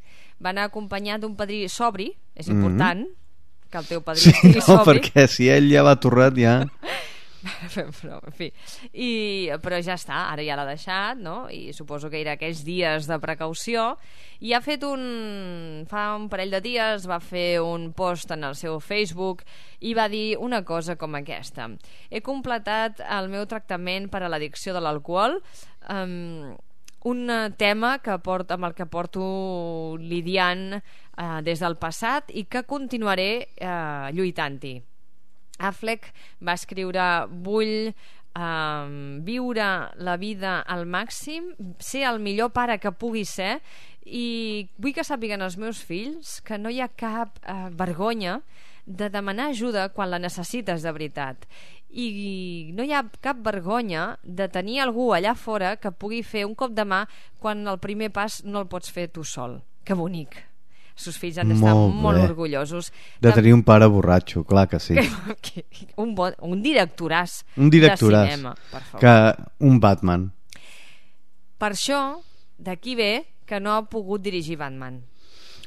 Va anar acompanyat d'un padrí sobri, és important mm-hmm. que el teu padrí sí, estigui no, sobri. perquè si ell ja va torrat ja... però, en fi. I, però ja està, ara ja l'ha deixat, no? I suposo que era aquells dies de precaució, i ha fet un... fa un parell de dies va fer un post en el seu Facebook i va dir una cosa com aquesta: he completat el meu tractament per a l'addicció de l'alcohol, um, un tema que porto, amb el que porto lidiant uh, des del passat i que continuaré uh, lluitant-hi. Affleck va escriure: vull um, viure la vida al màxim, ser el millor pare que pugui ser, i vull que sàpiguen els meus fills que no hi ha cap uh, vergonya de demanar ajuda quan la necessites de veritat, i no hi ha cap vergonya de tenir algú allà fora que pugui fer un cop de mà quan el primer pas no el pots fer tu sol. Que bonic. Els seus fills han d'estar molt, molt orgullosos de tenir un pare borratxo, clar que sí. Que, un, bon, un directoràs, un directoràs de cinema, per favor. Que un Batman. Per això, d'aquí ve que no ha pogut dirigir Batman.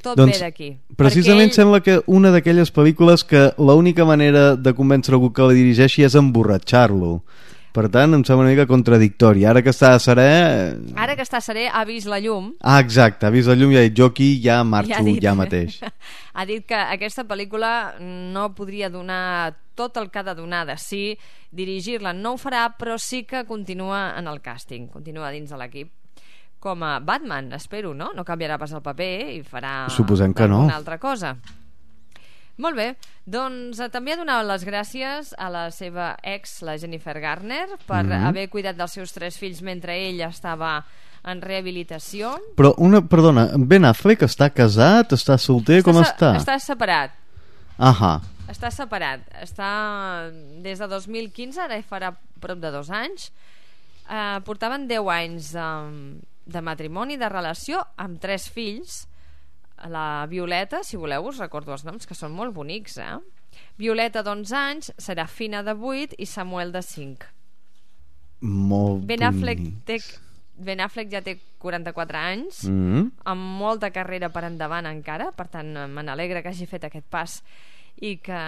Tot doncs, ve d'aquí. Precisament ell... sembla que una d'aquelles pel·lícules que l'única manera de convèncer algú que la dirigeixi és emborratxar-lo. Per tant, em sembla una mica contradictori. Ara que està serè... Ara que està serè, ha vist la llum. Ah, exacte, ha vist la llum i ha dit: jo aquí ja marxo, ja, dit, ja mateix. Ha dit que aquesta pel·lícula no podria donar tot el que ha de donar de si, dirigir-la no ho farà, però sí que continua en el càsting, continua dins de l'equip. Com a Batman, espero, no? No canviarà pas el paper i farà Suposem que no. una altra cosa. Molt bé, doncs eh, també ha donat les gràcies a la seva ex, la Jennifer Garner, per mm-hmm. haver cuidat dels seus tres fills mentre ell estava en rehabilitació. Però, una, perdona, Ben Affleck està casat, està solter, està com se- està? Està separat. Ahà. Està separat. Està des de dos mil quinze, ara hi farà prop de dos anys. Eh, portaven deu anys de, de matrimoni, de relació, amb tres fills. La Violeta, si voleu us recordo els noms, que són molt bonics, eh? Violeta d'onze anys, Serafina de vuit i Samuel de cinc. Molt Ben Affleck, bonics. té, Ben Affleck ja té quaranta-quatre anys, Mm-hmm. amb molta carrera per endavant encara, per tant me n'alegra que hagi fet aquest pas, i que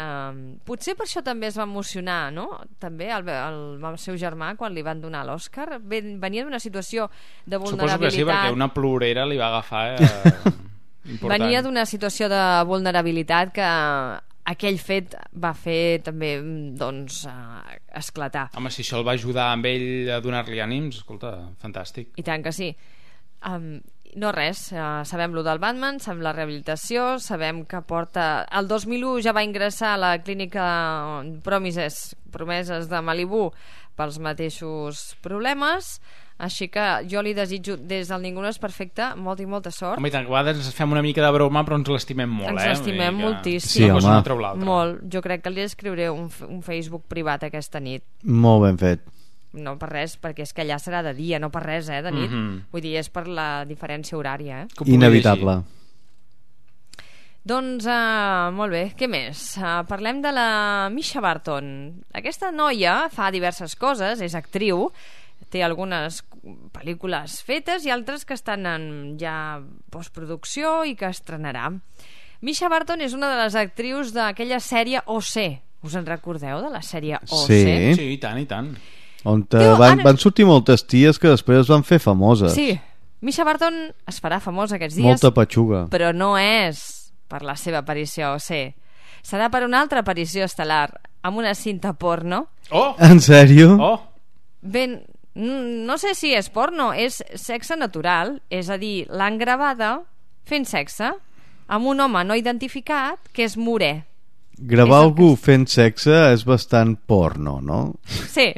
potser per això també es va emocionar, no? També el, el, el seu germà quan li van donar l'Oscar venia d'una situació de vulnerabilitat. Suposo que sí, perquè una plorera li va agafar... Eh... Important. Venia d'una situació de vulnerabilitat que aquell fet va fer també doncs, uh, esclatar. Home, si això el va ajudar amb ell a donar-li ànims, escolta, fantàstic. I tant que sí. Um, no res, uh, sabem lo del Batman, sabem la rehabilitació, sabem que porta... El dos mil u ja va ingressar a la clínica Promises, Promeses de Malibu pels mateixos problemes, així que jo li desitjo des del Ningú no és perfecte molta i molta sort. Home, i tant, a vegades fem una mica de broma, però ens l'estimem molt, ens eh? Ens l'estimem moltíssim. Sí, home. Molt. Jo crec que li escriuré un, un Facebook privat aquesta nit. Molt ben fet. No per res, perquè és que allà serà de dia, no per res, eh, de nit. Mm-hmm. Vull dir, és per la diferència horària, eh? Inevitable. Doncs, uh, molt bé, què més? Uh, parlem de la Misha Barton. Aquesta noia fa diverses coses, és actriu, té algunes pel·lícules fetes i altres que estan en ja postproducció i que estrenarà. Misha Barton és una de les actrius d'aquella sèrie O C. Us en recordeu de la sèrie O C? Sí, sí i tant, i tant. On van, van sortir moltes ties que després es van fer famoses. Sí, Misha Barton es farà famosa aquests dies. Molta patxuga. Però no és per la seva aparició a O C. Serà per una altra aparició estel·lar amb una cinta porno. Oh! En sèrio? Oh! Ben, no sé si és porno, és sexe natural, és a dir, l'han gravada fent sexe amb un home no identificat que és morè. Gravar és algú que... fent sexe és bastant porno, no? Sí.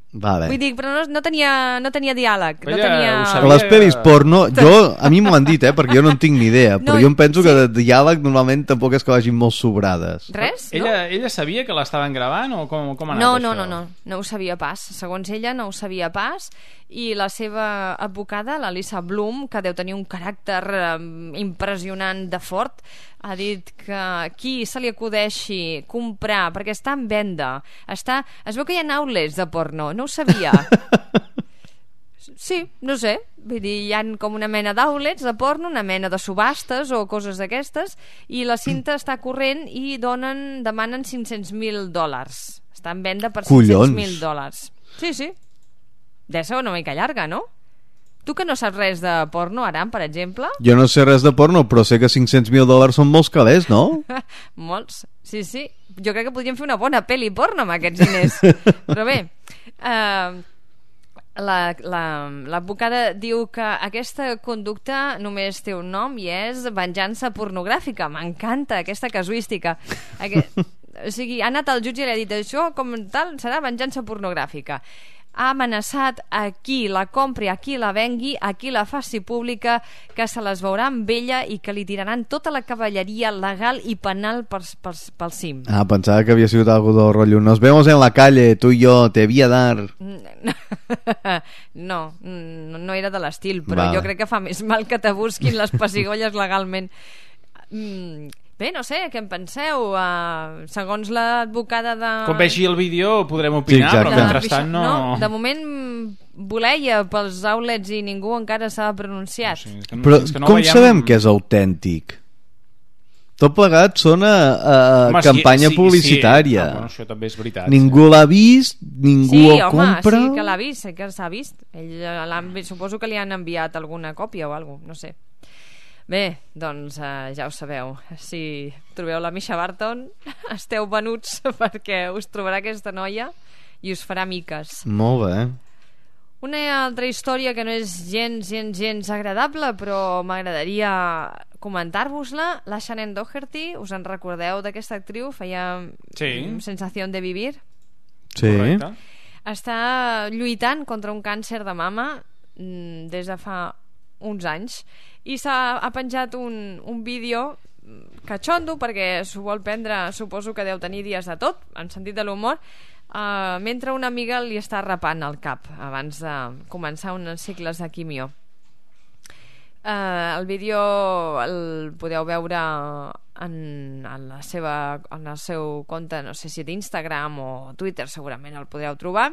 Vale. Vull dir, però no, no, tenia, no tenia diàleg. No Ella tenia... Les pel·lis porno, jo, a mi m'ho han dit, eh, perquè jo no en tinc ni idea, però No, jo em penso sí. que de diàleg normalment tampoc és que vagin molt sobrades. Res, no? Ella, ella sabia que l'estaven gravant o com, com ha anat No, això? no, no, no, no ho sabia pas. Segons ella no ho sabia pas, i la seva advocada, la Lisa Bloom, que deu tenir un caràcter eh, impressionant de fort, ha dit que qui se li acudeixi comprar, perquè està en venda, està... es veu que hi ha outlets de porno, no ho sabia. Sí, no sé, vull dir, hi ha com una mena d'outlets de porno, una mena de subhastes o coses d'aquestes, i la cinta està corrent i donen, demanen cinc-cents mil dòlars. Està en venda per cinc-cents mil dòlars. Sí, sí. Deu ser una mica llarga, no? Tu que no saps res de porno, Aram, per exemple? Jo no sé res de porno, però sé que cinc-cents mil dòlars són molts calés, no? Molts, sí, sí. Jo crec que podríem fer una bona pel·li porno amb aquests diners. Però bé, eh, l'advocada la, la, diu que aquesta conducta només té un nom i és venjança pornogràfica. M'encanta aquesta casuística. Aquest, o sigui, ha anat al jutge i li ha dit això com tal serà venjança pornogràfica. Ha amenaçat a qui la compri, a qui la vengui, a qui la faci pública, que se les veurà amb ella i que li tiraran tota la cavalleria legal i penal pel, pel, pel cim. Ah, pensava que havia sigut algo del rotllo. Nos vemos en la calle, tu i jo, te voy a dar. No, no, no era de l'estil, però vale. Jo crec que fa més mal que te busquin les pessigolles legalment. Mm, bé, no sé, què en penseu? Uh, segons l'advocada de... Quan vegi el vídeo podrem opinar, sí, però mentrestant no... no... De moment voleia pels outlets i ningú encara s'ha pronunciat. No, sí, que no, però que no com veiem... sabem que és autèntic? Tot plegat sona a home, campanya sí, sí, publicitària. Sí, no, bueno, això també és veritat. Ningú sí. l'ha vist, ningú sí, el home, compra. Sí, que l'ha vist, sí que s'ha vist. Ell, suposo que li han enviat alguna còpia o alguna cosa, no sé. Bé, doncs uh, ja ho sabeu. Si trobeu la Misha Barton, esteu venuts perquè us trobarà aquesta noia i us farà miques. Molt bé. Una altra història que no és gens, gens, gens agradable, però m'agradaria comentar-vos-la. La Shannon Doherty, us en recordeu d'aquesta actriu? Feia sí. Sensación de vivir. Sí. Correcte. Està lluitant contra un càncer de mama des de fa uns anys i s'ha ha penjat un, un vídeo catxondo perquè s'ho vol prendre, suposo que deu tenir dies de tot, en sentit de l'humor, uh, mentre una amiga li està rapant el cap abans de començar uns cicles de quimio. Uh, el vídeo el podeu veure en, en, la seva, en el seu compte, no sé si d'Instagram o Twitter, segurament el podreu trobar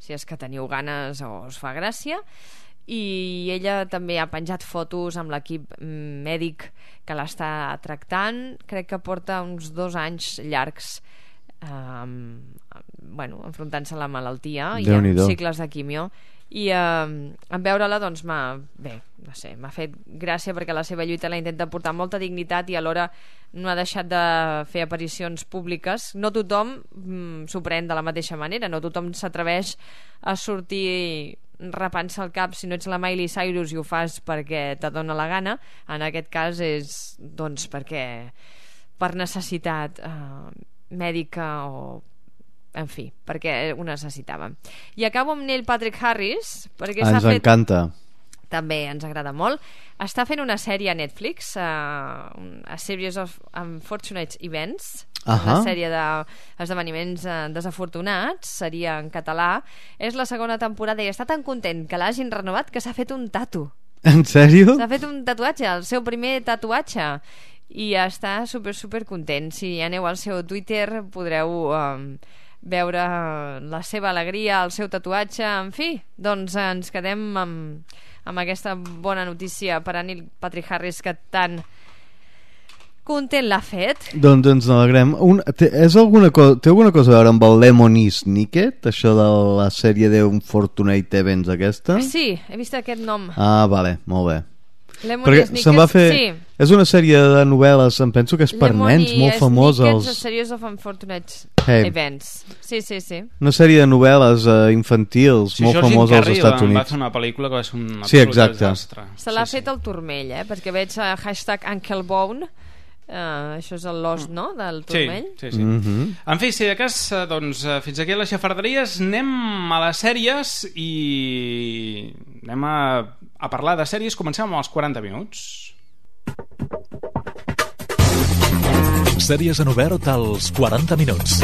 si és que teniu ganes o us fa gràcia. I ella també ha penjat fotos amb l'equip mèdic que l'està tractant. Crec que porta uns dos anys llargs eh, bueno, enfrontant-se a la malaltia i Déu-n'hi-do. amb cicles de quimio. I eh, en veure-la doncs m'ha bé, no sé, m'ha fet gràcia perquè la seva lluita la intenta portar molta dignitat i alhora no ha deixat de fer aparicions públiques. No tothom mm, s'ho pren de la mateixa manera, no tothom s'atreveix a sortir rapant-se el cap si no ets la Miley Cyrus i ho fas perquè te dona la gana. En aquest cas és doncs perquè per necessitat eh, mèdica o en fi, perquè ho necessitàvem. I acabo amb Neil Patrick Harris perquè ens s'ha fet... encanta. També ens agrada molt. Està fent una sèrie a Netflix, uh, A Series of Unfortunate Events, uh-huh. una sèrie d'esdeveniments uh, desafortunats, seria en català. És la segona temporada i està tan content que l'hagin renovat que s'ha fet un tatu. En sèrio? S'ha fet un tatuatge, el seu primer tatuatge, i està super, super content. Si aneu al seu Twitter podreu... Um, veure la seva alegria, el seu tatuatge, en fi, doncs ens quedem amb, amb aquesta bona notícia per a Neil Patrick Harris que tan content l'ha fet. Doncs ens n'alegrem. Un, té, és alguna cosa, té alguna cosa a veure amb el Lemony Snicket, això de la sèrie d'Unfortunate Events aquesta? Sí, he vist aquest nom. Ah, vale, molt bé. Lemony perquè Snicket, se'n va fer... sí. És una sèrie de novel·les, em penso que és per Lemony nens, molt famosa. Lemony Els... Snicket, A Series of Unfortunate Hey. Events. Sí, sí, sí. Una sèrie de novel·les uh, infantils, sí, molt famosa als Estats Units. Va fer una pel·lícula que va ser un sí, exacte. desastre. Se l'ha sí, fet sí. el turmell, eh? Perquè veig uh, hashtag Uncle Bone. Uh, això és l'os, no?, del turmell. Sí, sí, sí. Mm-hmm. En fi, si de cas, doncs, fins aquí a les xafarderies, anem a les sèries i anem a, a parlar de sèries. Comencem amb els quaranta minuts. Sèries en obert als quaranta minuts.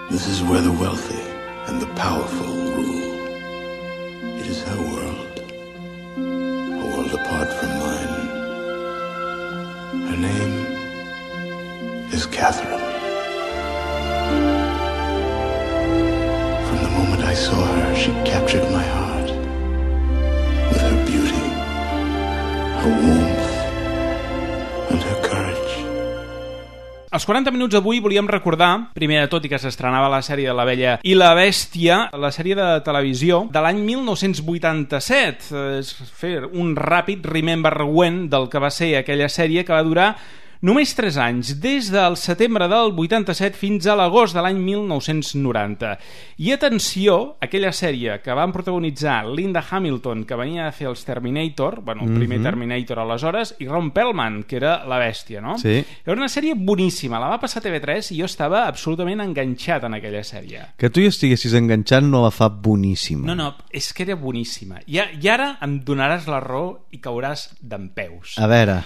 This is where the wealthy and the powerful rule. It is her world, a world apart from mine. Her name is Catherine. From the moment I saw her, she captured my heart with her beauty, her warmth, and her courage. Als quaranta minuts d'avui volíem recordar, primer de tot i que s'estrenava la sèrie de La Bella i la Bèstia, la sèrie de televisió de l'any mil nou-cents vuitanta-set. És fer un ràpid remember when del que va ser aquella sèrie que va durar només tres anys, des del setembre del vuitanta-set fins a l'agost de l'any mil nou-cents noranta. I atenció, aquella sèrie que van protagonitzar Linda Hamilton, que venia a fer els Terminator, bueno, el primer mm-hmm. Terminator aleshores, i Ron Perlman, que era la bèstia, no? Sí. Era una sèrie boníssima, la va passar a T V tres i jo estava absolutament enganxat en aquella sèrie. Que tu hi estiguessis enganxat no la fa boníssima. No, no, és que era boníssima. I, I ara em donaràs la raó i cauràs dempeus. A veure...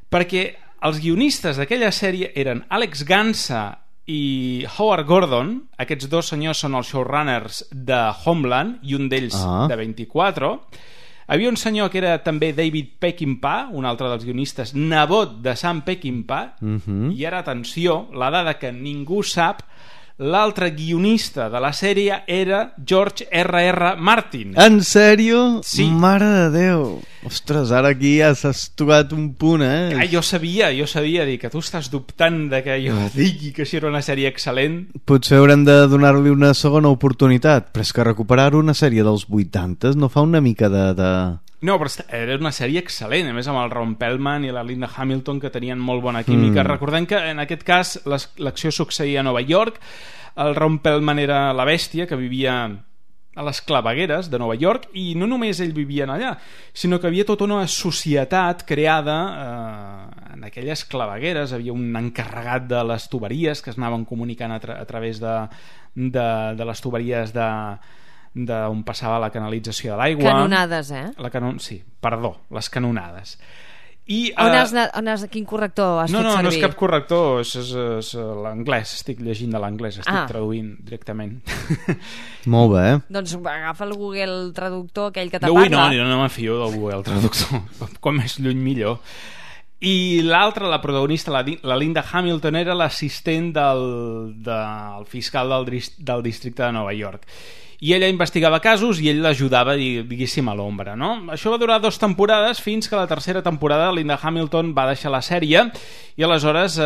Perquè els guionistes d'aquella sèrie eren Alex Gansa i Howard Gordon. Aquests dos senyors són els showrunners de Homeland i un d'ells ah. de vint-i-quatre. Havia un senyor que era també David Peckinpah, un altre dels guionistes, nebot de Sam Peckinpah. Mm-hmm. I ara, atenció, la dada que ningú sap, l'altre guionista de la sèrie era George R R. Martin. En sèrio? Sí. Mare de Déu. Ostres, ara aquí ja s'has tocat un punt, eh? Ah, jo sabia, jo sabia dir que tu estàs dubtant de que jo digui que això era una sèrie excel·lent. Potser haurem de donar-li una segona oportunitat, però és que recuperar una sèrie dels vuitanta no fa una mica de... de... No, però era una sèrie excel·lent, a més amb el Ron Perlman i la Linda Hamilton, que tenien molt bona química. Mm. Recordem que en aquest cas l'acció succeïa a Nova York, el Ron Perlman era la bèstia que vivia a les clavegueres de Nova York, i no només ell vivia allà, sinó que havia tota una societat creada eh, en aquelles clavegueres. Havia un encarregat de les tuberies que es anaven comunicant a, tra a través de, de, de les tuberies de d'on passava la canalització de l'aigua. Canonades, eh? La canon... Sí, perdó, les canonades. I, on uh... has anat, on has, quin corrector has no, fet no, servir? No, no és cap corrector, és, és, és l'anglès, estic llegint de l'anglès, estic ah. traduint directament. Molt bé. Doncs agafa el Google Traductor, aquell que te no, parla. No, no, no me fio del Google Traductor, com més lluny millor. I l'altra, la protagonista, la, la Linda Hamilton, era l'assistent del, del fiscal del, del districte de Nova York. I ella investigava casos i ell l'ajudava, diguéssim, a l'ombra, no? Això va durar dues temporades fins que la tercera temporada Linda Hamilton va deixar la sèrie i aleshores eh,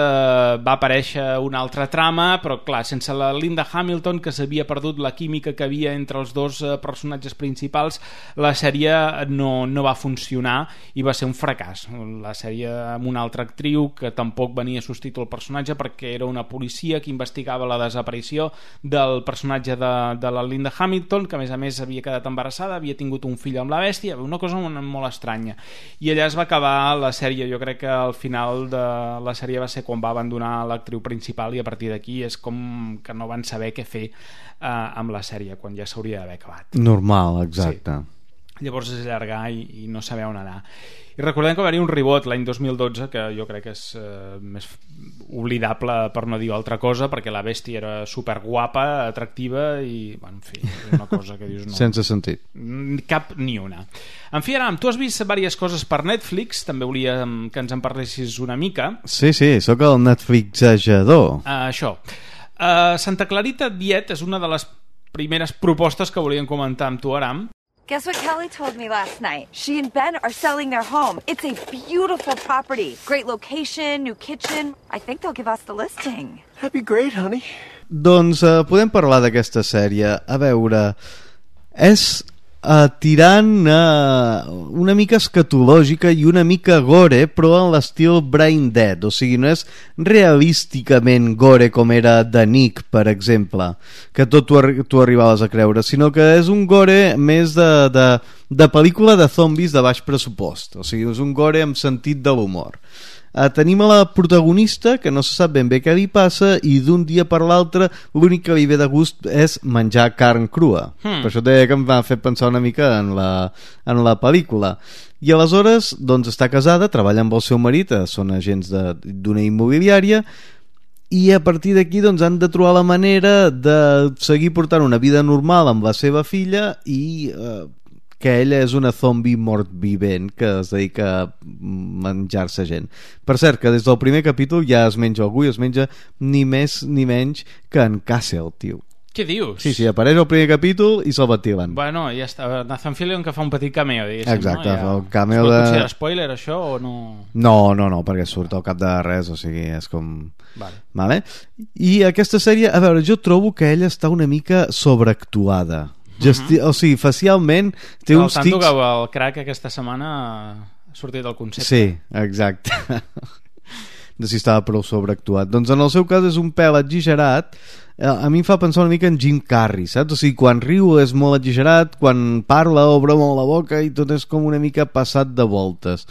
va aparèixer una altra trama, però clar, sense la Linda Hamilton, que s'havia perdut la química que havia entre els dos eh, personatges principals, la sèrie no, no va funcionar i va ser un fracàs. La sèrie amb una altra actriu que tampoc venia a substituir el personatge perquè era una policia que investigava la desaparició del personatge de, de la Linda Hamilton, que a més a més havia quedat embarassada, havia tingut un fill amb la bèstia, una cosa molt estranya. I allà es va acabar la sèrie. Jo crec que al final de la sèrie va ser quan va abandonar l'actriu principal i a partir d'aquí és com que no van saber què fer eh, amb la sèrie, quan ja s'hauria d'haver acabat. Normal, exacte. Sí. Llavors es allargar i, i no saber on anar. I recordem que va haver un reboot l'any dos mil dotze que jo crec que és eh, més oblidable, per no dir altra cosa, perquè la bèstia era superguapa, atractiva i, bueno, en fi, una cosa que dius no. Sense sentit. Cap ni una. En fi, Aram, tu has vist diverses coses per Netflix, també volia que ens en parlessis una mica. Sí, sí, sóc el Netflixejador. Uh, això. Uh, Santa Clarita Diet és una de les primeres propostes que volíem comentar amb tu, Aram. Guess what Kelly told me last night? She and Ben are selling their home. It's a beautiful property. Great location, new kitchen. I think they'll give us the listing. That'd be great, honey. Doncs uh, podem parlar d'aquesta sèrie. A veure, és uh, tirant uh, una mica escatològica i una mica gore, però en l'estil Brain Dead. O sigui, no és realísticament gore com era The Nick, per exemple, que tot tu, tu arribaves a creure, sinó que és un gore més de, de, de pel·lícula de zombis de baix pressupost. O sigui, és un gore amb sentit de l'humor. Uh, tenim a la protagonista que no se sap ben bé què li passa i d'un dia per l'altre l'únic que li ve de gust és menjar carn crua. hmm. Per això deia que em va fer pensar una mica en la, en la pel·lícula. I aleshores doncs està casada, treballa amb el seu marit, són agents d'una immobiliària, i a partir d'aquí doncs han de trobar la manera de seguir portant una vida normal amb la seva filla i eh, que ella és una zombi mort vivent que es dedica a menjar-se gent. Per cert, que des del primer capítol ja es menja algú i es menja ni més ni menys que en Castle, tio. Què dius? Sí, sí, apareix el primer capítol i se'l ventilen. Bueno, ja està. Nathan Fillion que fa un petit cameo, diguéssim. Exacte, no? Ja... el cameo es pot de... considerar spoiler, això, o no? No, no, no, perquè surt al cap de res, o sigui, és com... Vale. Vale? I aquesta sèrie, a veure, jo trobo que ella està una mica sobreactuada. Gesti... Uh -huh. O sigui, facialment té Però uns tanto tics... que el crack aquesta setmana ha sortit del concepte. Sí, exacte. De si estava prou sobreactuat. Doncs en el seu cas és un pèl exagerat. A mi em fa pensar una mica en Jim Carrey, saps? O sigui, quan riu és molt exagerat, quan parla obre molt la boca i tot és com una mica passat de voltes.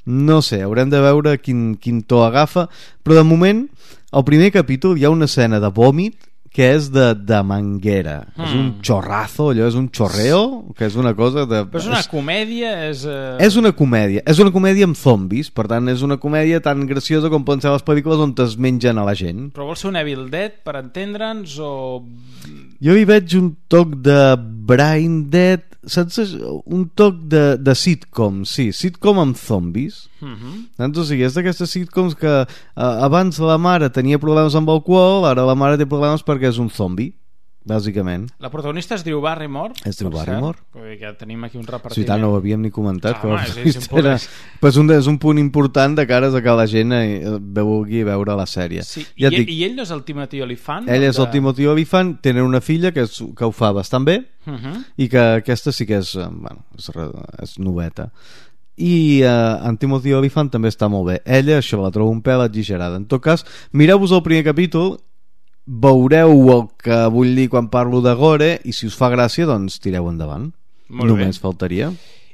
No sé, haurem de veure quin, quin to agafa, però de moment al primer capítol hi ha una escena de vòmit que és de, de manguera. Mm. És un xorrazo, allò és un xorreo, que és una cosa de... Però és una és, comèdia, és... Uh... És una comèdia, és una comèdia amb zombis, per tant és una comèdia tan graciosa com poden ser les pel·lícules on es mengen a la gent. Però vol ser un Evil Dead, per entendre'ns, o... Jo hi veig un toc de Brain Dead, saps? Un toc de, de sitcom, sí, sitcom amb zombis. Uh-huh. Doncs, o sigui, és d'aquestes sitcoms que uh, abans la mare tenia problemes amb alcohol, ara la mare té problemes perquè és un zombi, bàsicament. La protagonista es diu Barrymore. Es diu Barrymore. Que tenim aquí un repartiment. Sí, tant, no ho havíem ni comentat. Ah, però home, és, és, era, però és, un, és un punt important de cares a que la gent vulgui veure la sèrie. Sí. Ja I, dic, I ell no és el Timothy Olyphant? Ell és de... el Timothy Olyphant, tenen una filla que, és, que ho fa bastant bé, uh-huh. i que aquesta sí que és, bueno, és, és noveta. I uh, en Timothy Olyphant també està molt bé. Ella, això, la trobo un pèl exagerada. En tot cas, mireu-vos el primer capítol, veureu el que vull dir quan parlo de gore, i si us fa gràcia, doncs tireu endavant. Molt Només bé. faltaria.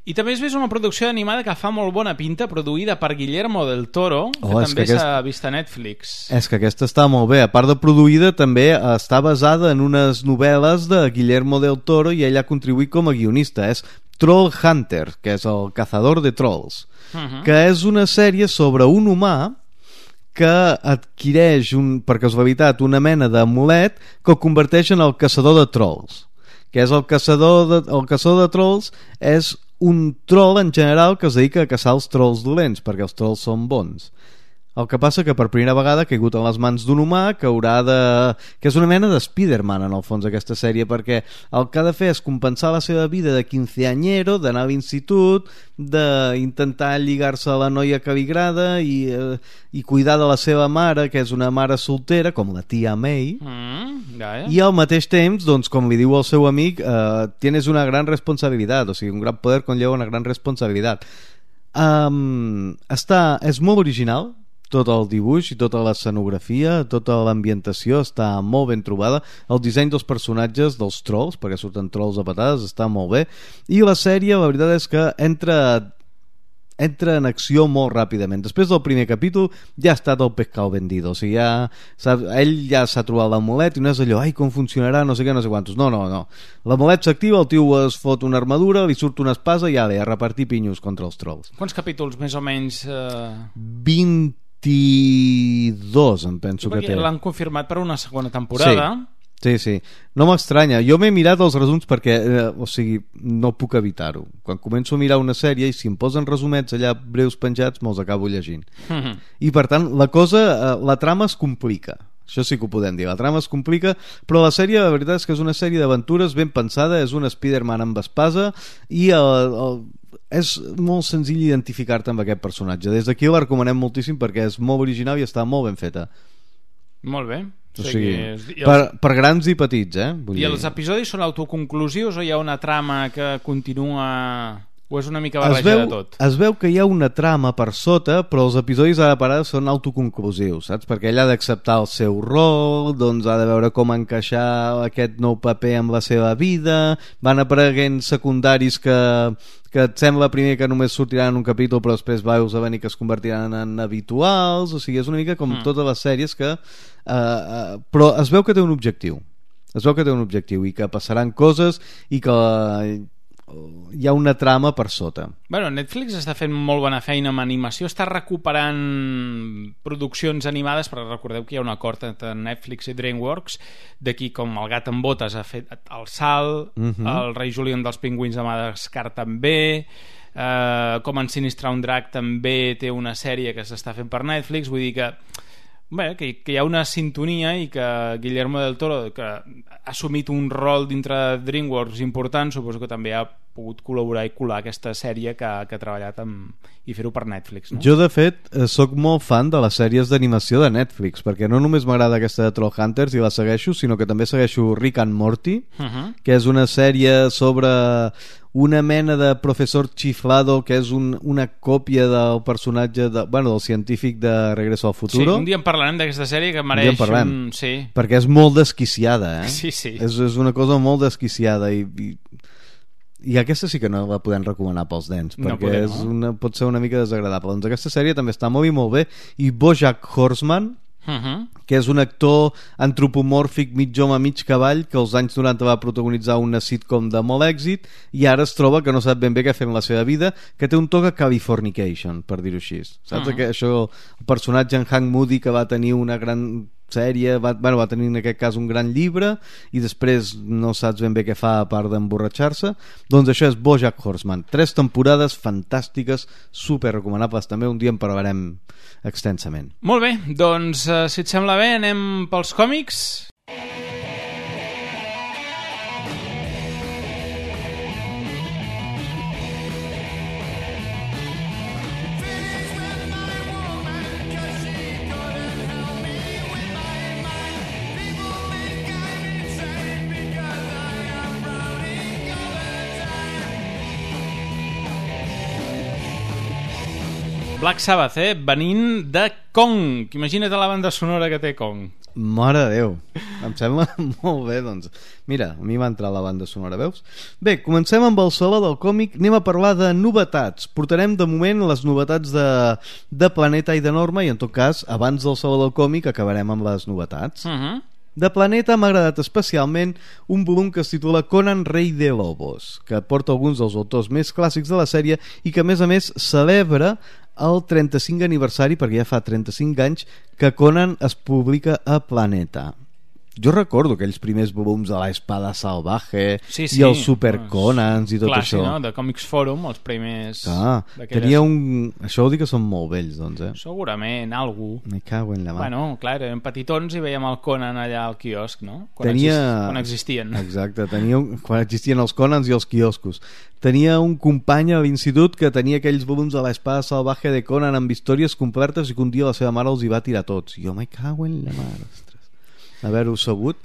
I també has vist una producció animada que fa molt bona pinta, produïda per Guillermo del Toro, que oh, també que s'ha aquest... vist a Netflix. És que aquesta està molt bé. A part de produïda, també està basada en unes novel·les de Guillermo del Toro i ell ha contribuït com a guionista. És Troll Hunter, que és el cazador de trolls, uh-huh. que és una sèrie sobre un humà que adquireix, un, per casualitat, una mena d'amulet que el converteix en el caçador de trolls. Que és el caçador de, el caçador de trolls és un troll en general que es dedica a caçar els trolls dolents, perquè els trolls són bons. El que passa que per primera vegada ha caigut en les mans d'un humà que haurà de... que és una mena de Spider-Man en el fons aquesta sèrie, perquè el que ha de fer és compensar la seva vida de quinceañero, d'anar a l'institut, d'intentar lligar-se a la noia que li agrada i, eh, i cuidar de la seva mare, que és una mare soltera, com la tia May, mm, ja, ja. i al mateix temps, doncs, com li diu el seu amic, eh, tienes una gran responsabilitat, o sigui, un gran poder conlleva una gran responsabilitat. Um, està, és molt original, tot el dibuix i tota l'escenografia, tota l'ambientació està molt ben trobada, el disseny dels personatges, dels trolls, perquè surten trolls a patades, està molt bé, i la sèrie la veritat és que entra entra en acció molt ràpidament. Després del primer capítol ja ha estat el pescado vendido, o sigui, ja, sap, ell ja s'ha trobat l'amulet i no és allò, ai, com funcionarà, no sé què, no sé quantos. No, no, no. L'amulet s'activa, el tio es fot una armadura, li surt una espasa i ja ve a repartir pinyos contra els trolls. Quants capítols més o menys? Eh... vint vint-i-dos em penso que té. L'han confirmat per una segona temporada. Sí, sí, sí. No m'estranya. Jo m'he mirat els resums perquè, eh, o sigui, no puc evitar-ho. Quan començo a mirar una sèrie i si em posen resumets allà breus penjats me'ls acabo llegint. Mm-hmm. I per tant, la cosa, eh, la trama es complica. Això sí que ho podem dir, la trama es complica, però la sèrie, la veritat és que és una sèrie d'aventures ben pensada, és un Spider-Man amb espasa i el, el és molt senzill identificar-te amb aquest personatge. Des d'aquí la recomanem moltíssim perquè és molt original i està molt ben feta. Molt bé. O sigui, els... per, per grans i petits, eh? Vull I dir... els episodis són autoconclusius o hi ha una trama que continua... o és una mica es barreja veu, de tot? Es veu que hi ha una trama per sota, però els episodis ara per ara són autoconclusius, saps? Perquè ell ha d'acceptar el seu rol, doncs ha de veure com encaixar aquest nou paper amb la seva vida, van apareguent secundaris que, que et sembla primer que només sortiran en un capítol però després veus a venir que es convertiran en habituals, o sigui, és una mica com mm. totes les sèries que... Uh, uh, però es veu que té un objectiu, es veu que té un objectiu i que passaran coses i que... hi ha una trama per sota. Bueno, Netflix està fent molt bona feina amb animació, està recuperant produccions animades, però recordeu que hi ha un acord entre Netflix i DreamWorks, d'aquí com El gat amb botes ha fet El Salt, Mhm. el rei Julián dels pingüins de Madagascar també, eh, com ensinistrar un drac també té una sèrie que s'està fent per Netflix, vull dir que bé, que, que hi ha una sintonia i que Guillermo del Toro, que ha assumit un rol dintre de DreamWorks important, suposo que també ha pogut col·laborar i colar aquesta sèrie que, que ha treballat amb, i fer-ho per Netflix, no? Jo, de fet, eh, sóc molt fan de les sèries d'animació de Netflix, perquè no només m'agrada aquesta de Trollhunters i la segueixo, sinó que també segueixo Rick and Morty, Uh-huh. que és una sèrie sobre una mena de professor chiflado que és un, una còpia del personatge de, bueno, del científic de Regreso al Sí, Futuro. un dia en parlarem d'aquesta sèrie que Un dia mereix en parlem, un... Sí. perquè és molt desquiciada, eh? Sí, sí. És, és una cosa molt desquiciada i, i, i aquesta sí que no la podem recomanar pels nens, No perquè podem, és no? una, pot ser una mica desagradable. Doncs aquesta sèrie també està molt i molt bé, i BoJack Horseman, Uh-huh. que és un actor antropomòrfic mig home mig cavall que als anys noranta va protagonitzar una sitcom de molt èxit i ara es troba que no sap ben bé què fer amb la seva vida, que té un toc a Californication, per dir-ho així, saps? Mhm. Que això, el personatge en Hank Moody, que va tenir una gran sèrie, va, bueno, va tenir en aquest cas un gran llibre i després no saps ben bé què fa a part d'emborratxar-se. Doncs això és BoJack Horseman, tres temporades fantàstiques, super recomanables també, un dia en parlarem extensament. Molt bé, doncs eh, si et sembla bé anem pels còmics. Black Sabbath, eh? Venint de Kong. Imagina't la banda sonora que té Kong. Mare de Déu, em sembla molt bé, doncs. Mira, a mi va entrar la banda sonora, veus? Bé, comencem amb el saló del còmic, anem a parlar de novetats. Portarem de moment les novetats de, de Planeta i de Norma, i en tot cas, abans del saló del còmic acabarem amb les novetats. Uh-huh. De Planeta m'ha agradat especialment un volum que es titula Conan Rei de Lobos, que porta alguns dels autors més clàssics de la sèrie i que a més a més celebra el trenta-cinquè aniversari, perquè ja fa trenta-cinc anys que Conan es publica a Planeta. Jo recordo aquells primers volums de la Espada Salvaje sí, sí. i els Super Conans i tot Clar, això. Sí, no? De Comics Forum, els primers... Ah, tenia un... Això vol dir que són molt vells, doncs, eh? Segurament, algú. Me cago en la mà. Bueno, clar, érem petitons i veiem el Conan allà al quiosc, no? Quan, tenia... exist... quan existien. Exacte, tenia un... quan existien els Conans i els quioscos. Tenia un company a l'institut que tenia aquells volums de la Espada Salvaje de Conan amb històries completes i que un dia la seva mare els hi va tirar tots. Jo me cago en la mare, ostres. Haver-ho sabut.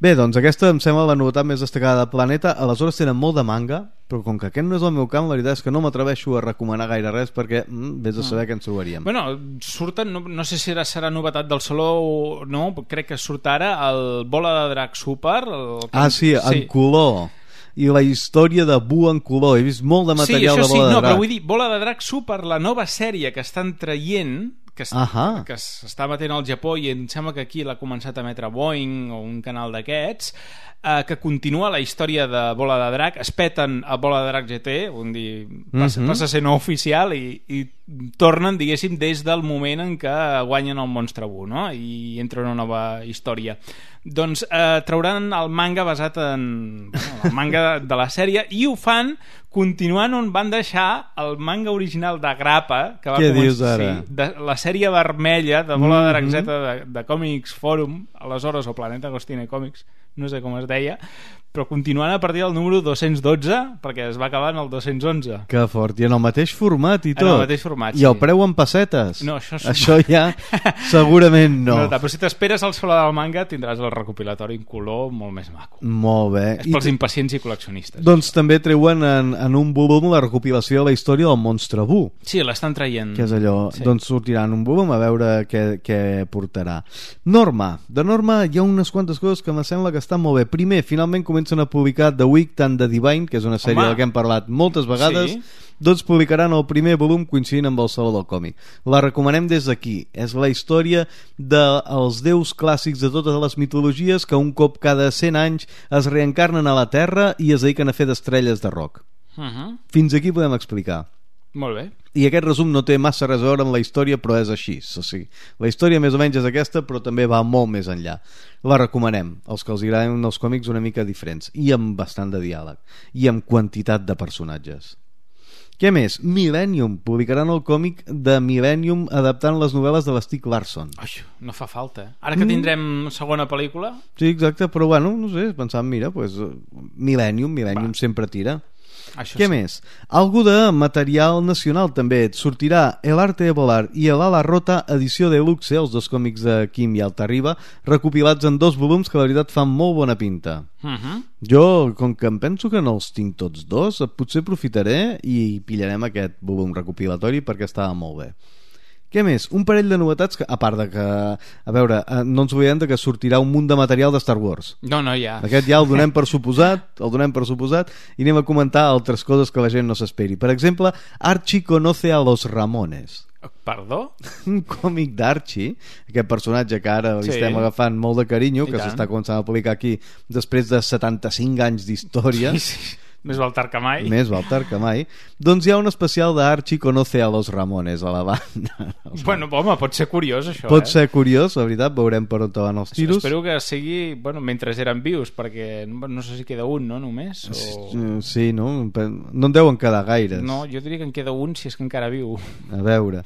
Bé, doncs aquesta em sembla la novetat més destacada del planeta. Aleshores tenen molt de manga, però com que aquest no és el meu camp, la veritat és que no m'atreveixo a recomanar gaire res perquè mm, vés a saber mm. què ens trobaríem. Bueno, surten, no, no sé si serà, serà novetat del saló o no, crec que surt ara el Bola de Drac Super. El... Ah, sí, en sí. color. I la història de Bu en color. He vist molt de material sí, de Bola sí, de no, Drac. Però vull dir, Bola de Drac Super, la nova sèrie que estan traient, que, est uh-huh. que s'està batent al Japó i em sembla que aquí l'ha començat a emetre Boeing o un canal d'aquests, eh, que continua la història de Bola de Drac. Es peten a Bola de Drac G T, un dir, passa, uh-huh. passa a ser no oficial i, i tornen, diguéssim, des del moment en què guanyen el Monstre Bu, no? I entra una nova història. Doncs eh, trauran el manga basat en bueno, el manga de la sèrie i ho fan continuant on van deixar el manga original de Grappa, que va Què començar, dius ara? sí, de, la sèrie vermella de Bola de Drac Z mm-hmm. de, de Comics Forum, aleshores, o Planeta Agostini Comics, no sé com es deia, però continuant a partir del número dos-cents dotze, perquè es va acabar en el dos-cents onze. Que fort, i en el mateix format i tot. En el mateix format, I el preu en pessetes. No, això, és... això ja segurament no. no. Però si t'esperes al saló del manga tindràs el recopilatori en color molt més maco. Molt bé. És pels I impacients i col·leccionistes. Doncs també treuen en, en un volum la recopilació de la història del Monstre Bu. Sí, l'estan traient. Que és allò, sí. Doncs sortirà en un volum a veure què, què portarà. Norma. De Norma hi ha unes quantes coses que me sembla que estan molt bé. Primer, finalment comencen a publicar The Week and the Divine, que és una sèrie Home. de què hem parlat moltes vegades. Sí. Doncs publicaran el primer volum coincidint amb el Saló del Còmic. La recomanem des d'aquí. És la història dels déus clàssics de totes les mitologies que un cop cada cent anys es reencarnen a la Terra i es dediquen a fer d'estrelles de rock. Uh-huh. Fins aquí podem explicar. Molt bé. I aquest resum no té massa res a veure amb la història, però és així. O sigui, la història més o menys és aquesta, però també va molt més enllà. La recomanem, els que els agraden els còmics una mica diferents, i amb bastant de diàleg, i amb quantitat de personatges. Què més? Millennium. Publicaran el còmic de Millennium adaptant les novel·les de l'Stieg Larsson. Ai, no fa falta. Ara que tindrem mm. segona pel·lícula... Sí, exacte, però bueno, no sé, pensàvem, mira, pues, Millennium, Millennium Va. sempre tira... Això Què sí. més? Algú de material nacional també. Et sortirà El arte de volar i El ala rota, edició de luxe, els dos còmics de Quim i Altarriba, recopilats en dos volums que la veritat fan molt bona pinta. Uh-huh. Jo, com que em penso que no els tinc tots dos, potser aprofitaré i pillarem aquest volum recopilatori perquè estava molt bé. Què més? Un parell de novetats que, a part de que, a veure, no ens oblidem de que sortirà un munt de material de Star Wars. No, no, ja. Aquest ja el donem per suposat, el donem per suposat, i anem a comentar altres coses que la gent no s'esperi. Per exemple, Archie conoce a los Ramones. Perdó? Un còmic d'Archie, aquest personatge que ara li sí. estem agafant molt de carinyo, I que s'està començant a publicar aquí després de setanta-cinc anys d'història. Sí, sí. Més val tard que mai. Més val tard que mai. Doncs hi ha un especial d'Archie conoce a los Ramones a la banda. Bueno, home, pot ser curiós això, pot eh? ser curiós, la veritat, veurem per on van els tiros. Espero que sigui, bueno, mentre eren vius, perquè no sé si queda un, no, només? O... Sí, no? No en deuen quedar gaires. No, jo diria que en queda un si és que encara viu. A veure...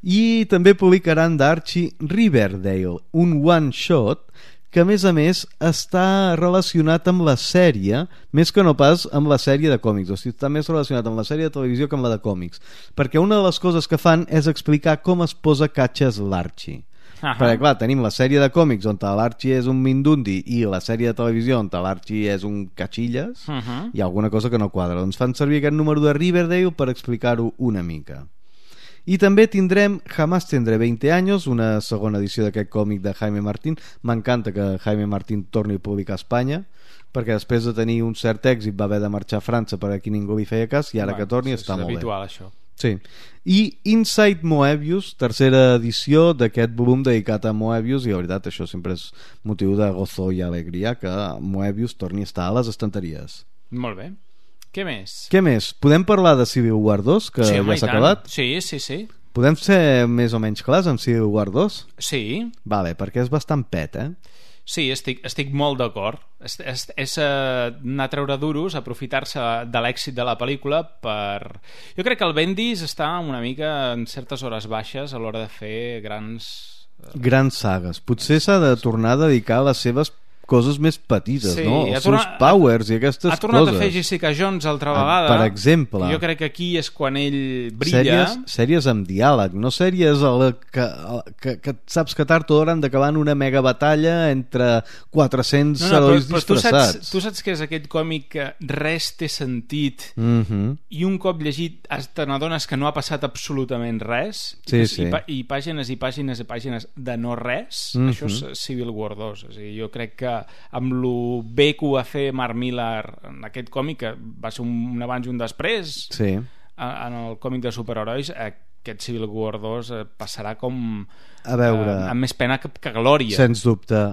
I també publicaran d'Archie Riverdale, un one-shot que a més a més està relacionat amb la sèrie, més que no pas amb la sèrie de còmics, o sigui, està més relacionat amb la sèrie de televisió que amb la de còmics, perquè una de les coses que fan és explicar com es posa catxes l'Archie. Uh-huh. Perquè clar, tenim la sèrie de còmics on l'Archie és un mindundi i la sèrie de televisió on l'Archie és un catxilles, uh-huh. Hi ha alguna cosa que no quadra, doncs fan servir aquest número de Riverdale per explicar-ho una mica. I també tindrem Jamás tendré veinte años, una segona edició d'aquest còmic de Jaime Martín. M'encanta que Jaime Martín torni a publicar a Espanya, perquè després de tenir un cert èxit va haver de marxar a França perquè aquí ningú li feia cas, i ara bueno, que torni és, està és molt habitual, bé. Això. Sí. I Inside Moebius, tercera edició d'aquest volum dedicat a Moebius, i la veritat això sempre és motiu de gozo i alegria que Moebius torni a estar a les estanteries. Molt bé. Què més? Què més? Podem parlar de Civil War dos, que sí, ja s'ha acabat? Sí, sí, sí. Podem ser més o menys clars amb Civil War dos? Sí. Vale, perquè és bastant pet, eh? Sí, estic, estic molt d'acord. És, és, és uh, anar a treure duros, aprofitar-se de l'èxit de la pel·lícula per... Jo crec que el Bendis està una mica en certes hores baixes a l'hora de fer grans... Uh... grans sagues. Potser s'ha de tornar a dedicar a les seves coses més petites, sí, no? Els torna, seus powers i aquestes coses. Ha tornat coses. A fer Jessica Jones altra vegada. Per exemple. Jo crec que aquí és quan ell brilla. Sèries, sèries amb diàleg, no sèries el, que, el, que, que saps que tard o d'hora han d'acabar en una mega batalla entre quatre-cents no, no, herois però, però disfressats. Tu saps, tu saps que és aquest còmic que res té sentit mm-hmm. i un cop llegit te n'adones que no ha passat absolutament res sí, i, sí. i, i pàgines i pàgines i pàgines de no res. Mm-hmm. Això és Civil War dos. O sigui, jo crec que amb lo bé que ho va fer Mark Millar en aquest còmic, que va ser un, un abans i un després sí. en el còmic de superherois, aquest Civil War dos passarà com a veure, eh, amb més pena que, que glòria. Sens dubte.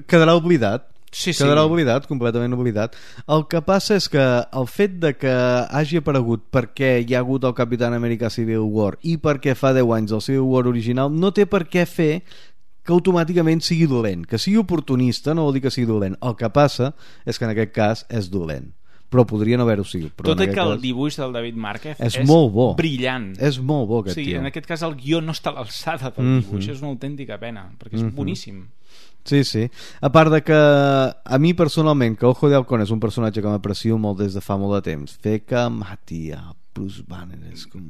Quedarà oblidat. Sí, sí. Quedarà oblidat, completament oblidat. El que passa és que el fet de que hagi aparegut perquè hi ha hagut el Capitán Amèrica Civil War i perquè fa deu anys el Civil War original no té per què fer que automàticament sigui dolent. Que sigui oportunista no vol dir que sigui dolent. El que passa és que en aquest cas és dolent. Però podria no haver-ho sigut. Tot i que el dibuix del David Márquez és, és molt bo. Brillant. És molt bo aquest o sigui, tio. En aquest cas el guió no està a l'alçada del mm-hmm. dibuix, és una autèntica pena, perquè és mm-hmm. boníssim. Sí, sí. A part de que a mi personalment, que Ojo de Halcón és un personatge que m'aprecio molt des de fa molt de temps, fer que mati a Bruce Banner és com...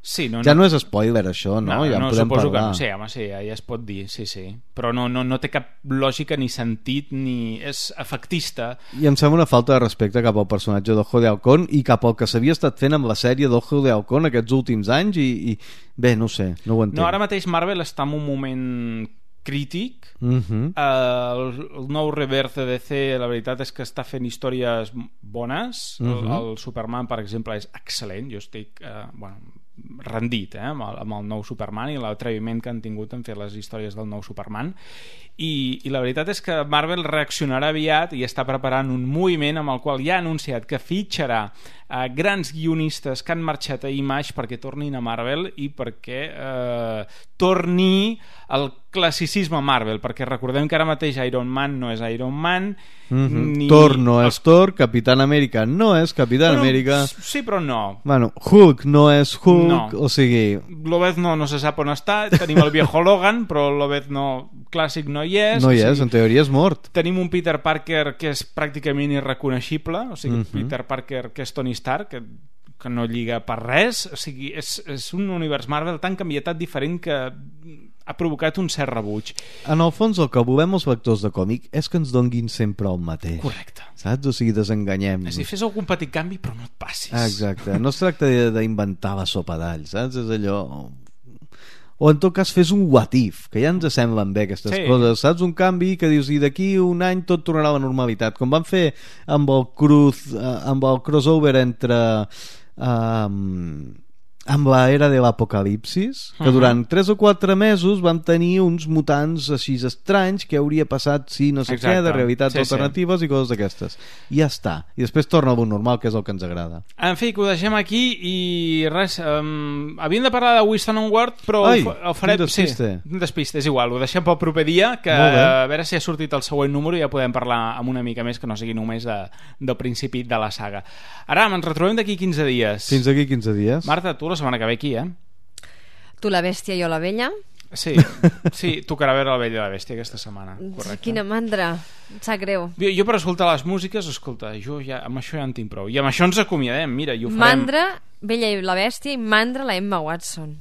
Sí, no, ja no, no és spoiler això, no? no Ja en no, podem suposo parlar. Que no, sí, home, sí, ja es pot dir, sí, sí. Però no, no, no té cap lògica ni sentit ni és efectista. I em sembla una falta de respecte cap al personatge d'Ojo de Halcón i cap al que s'havia estat fent amb la sèrie d'Ojo de Halcón aquests últims anys i, i bé, no sé, no ho entenc. No, ara mateix Marvel està en un moment crític. Uh-huh. uh, el, el nou Rebirth de D C la veritat és que està fent històries bones. Uh-huh. el, el Superman, per exemple, és excel·lent. Jo estic uh, bueno, rendit eh, amb, el, amb el nou Superman i l'atreviment que han tingut en fer les històries del nou Superman i, i la veritat és que Marvel reaccionarà aviat i està preparant un moviment amb el qual ja ha anunciat que fitxarà eh, grans guionistes que han marxat a Image perquè tornin a Marvel i perquè eh, torni el classicisme Marvel, perquè recordem que ara mateix Iron Man no és Iron Man, mm-hmm. ni... Thor no és Thor, Capitán Amèrica no és Capitán bueno, Amèrica. Sí, però no. Bueno, Hulk no és Hulk, no. O sigui... Lobezno no se sap on està, tenim el viejo Logan, però el Lobezno clàssic no hi és. No hi o és, sigui, en teoria és mort. Tenim un Peter Parker que és pràcticament irreconeixible, o sigui, mm-hmm. Peter Parker que és Tony Stark, que que no lliga per res, o sigui, és, és un univers Marvel tan canviat, diferent que ha provocat un cert rebuig. En el fons el que volem els lectors de còmic és que ens donguin sempre el mateix. Correcte. Saps? O sigui, desenganyem-nos. És a dir, fes algun petit canvi però no et passis. Exacte. No es tracta d'inventar la sopa d'all, saps? És allò... O en tot cas fes un what if, que ja ens semblen bé aquestes sí. coses, saps? Un canvi que dius i d'aquí un any tot tornarà a la normalitat, com van fer amb el cruz, amb el crossover entre um, amb l'era de l'apocalipsis, que durant tres o quatre mesos van tenir uns mutants així estranys que hauria passat si no sé Exacte. Què, de realitats sí, alternatives sí. I coses d'aquestes. I ja està. I després torna al normal, que és el que ens agrada. En fi, que ho deixem aquí i res, um, havíem de parlar de Winston Ward, però Ai, ho farem... un despiste. Sí, un despiste, és igual, ho deixem pel proper dia, que a veure si ha sortit el següent número i ja podem parlar amb una mica més que no sigui només de, del principi de la saga. Ara, ens retrobem d'aquí quinze dies. Fins d'aquí quinze dies. Marta, tu la setmana que ve aquí, eh? Tu la bèstia, jo la vella. Sí, sí, tocarà veure la Bella i la Bèstia aquesta setmana. Correcte. Quina mandra, em sap greu. Jo, jo per escoltar les músiques, escolta, jo ja, amb això ja en tinc prou. I amb això ens acomiadem, mira, i ho farem. Mandra, Bella i la Bèstia, i mandra la Emma Watson.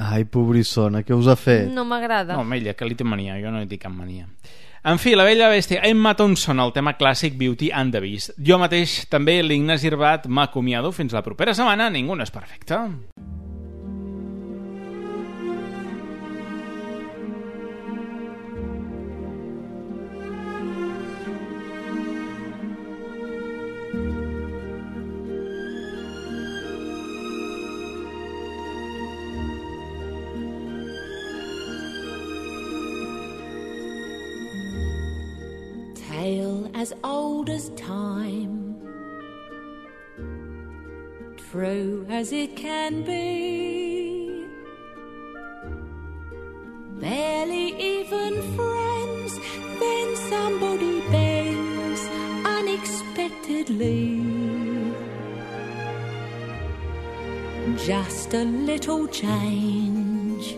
Ai, pobrissona, què us ha fet? No m'agrada. No, amb ella, que li té mania, jo no hi tinc cap mania. En fi, la Bella i la Bèstia, Emma Thompson, el tema clàssic Beauty and the Beast. Jo mateix, també, l'Ignasi Irbat, m'acomiado fins la propera setmana. Ningú no és perfecte. Tale as old as time, true as it can be, barely even friends, unexpectedly. Just a little change,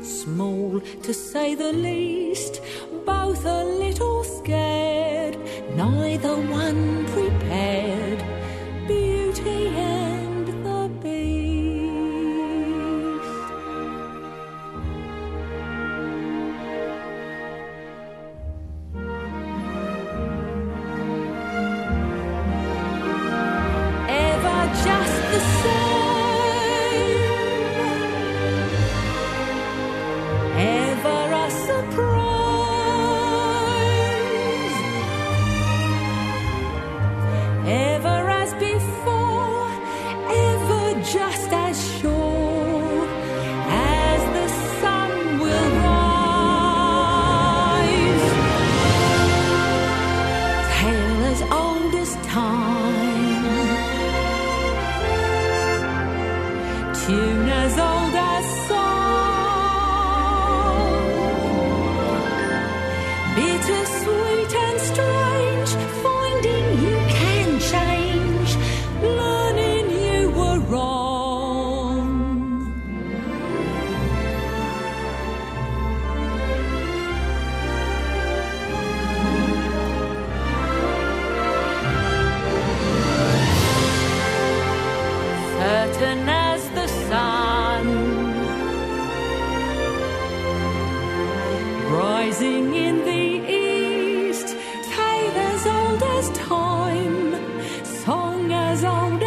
small to say the least, both a little scared, neither one prepared. Beauty and the Beast. Ever just the same, ever a surprise, ever as before, ever just as sure as the sun will rise. Tale as old as time, tune as old as song, bittersweet and strange, finding you can change, learning you were wrong. Certain as the sun, rising in the east, tale as old as time, song as old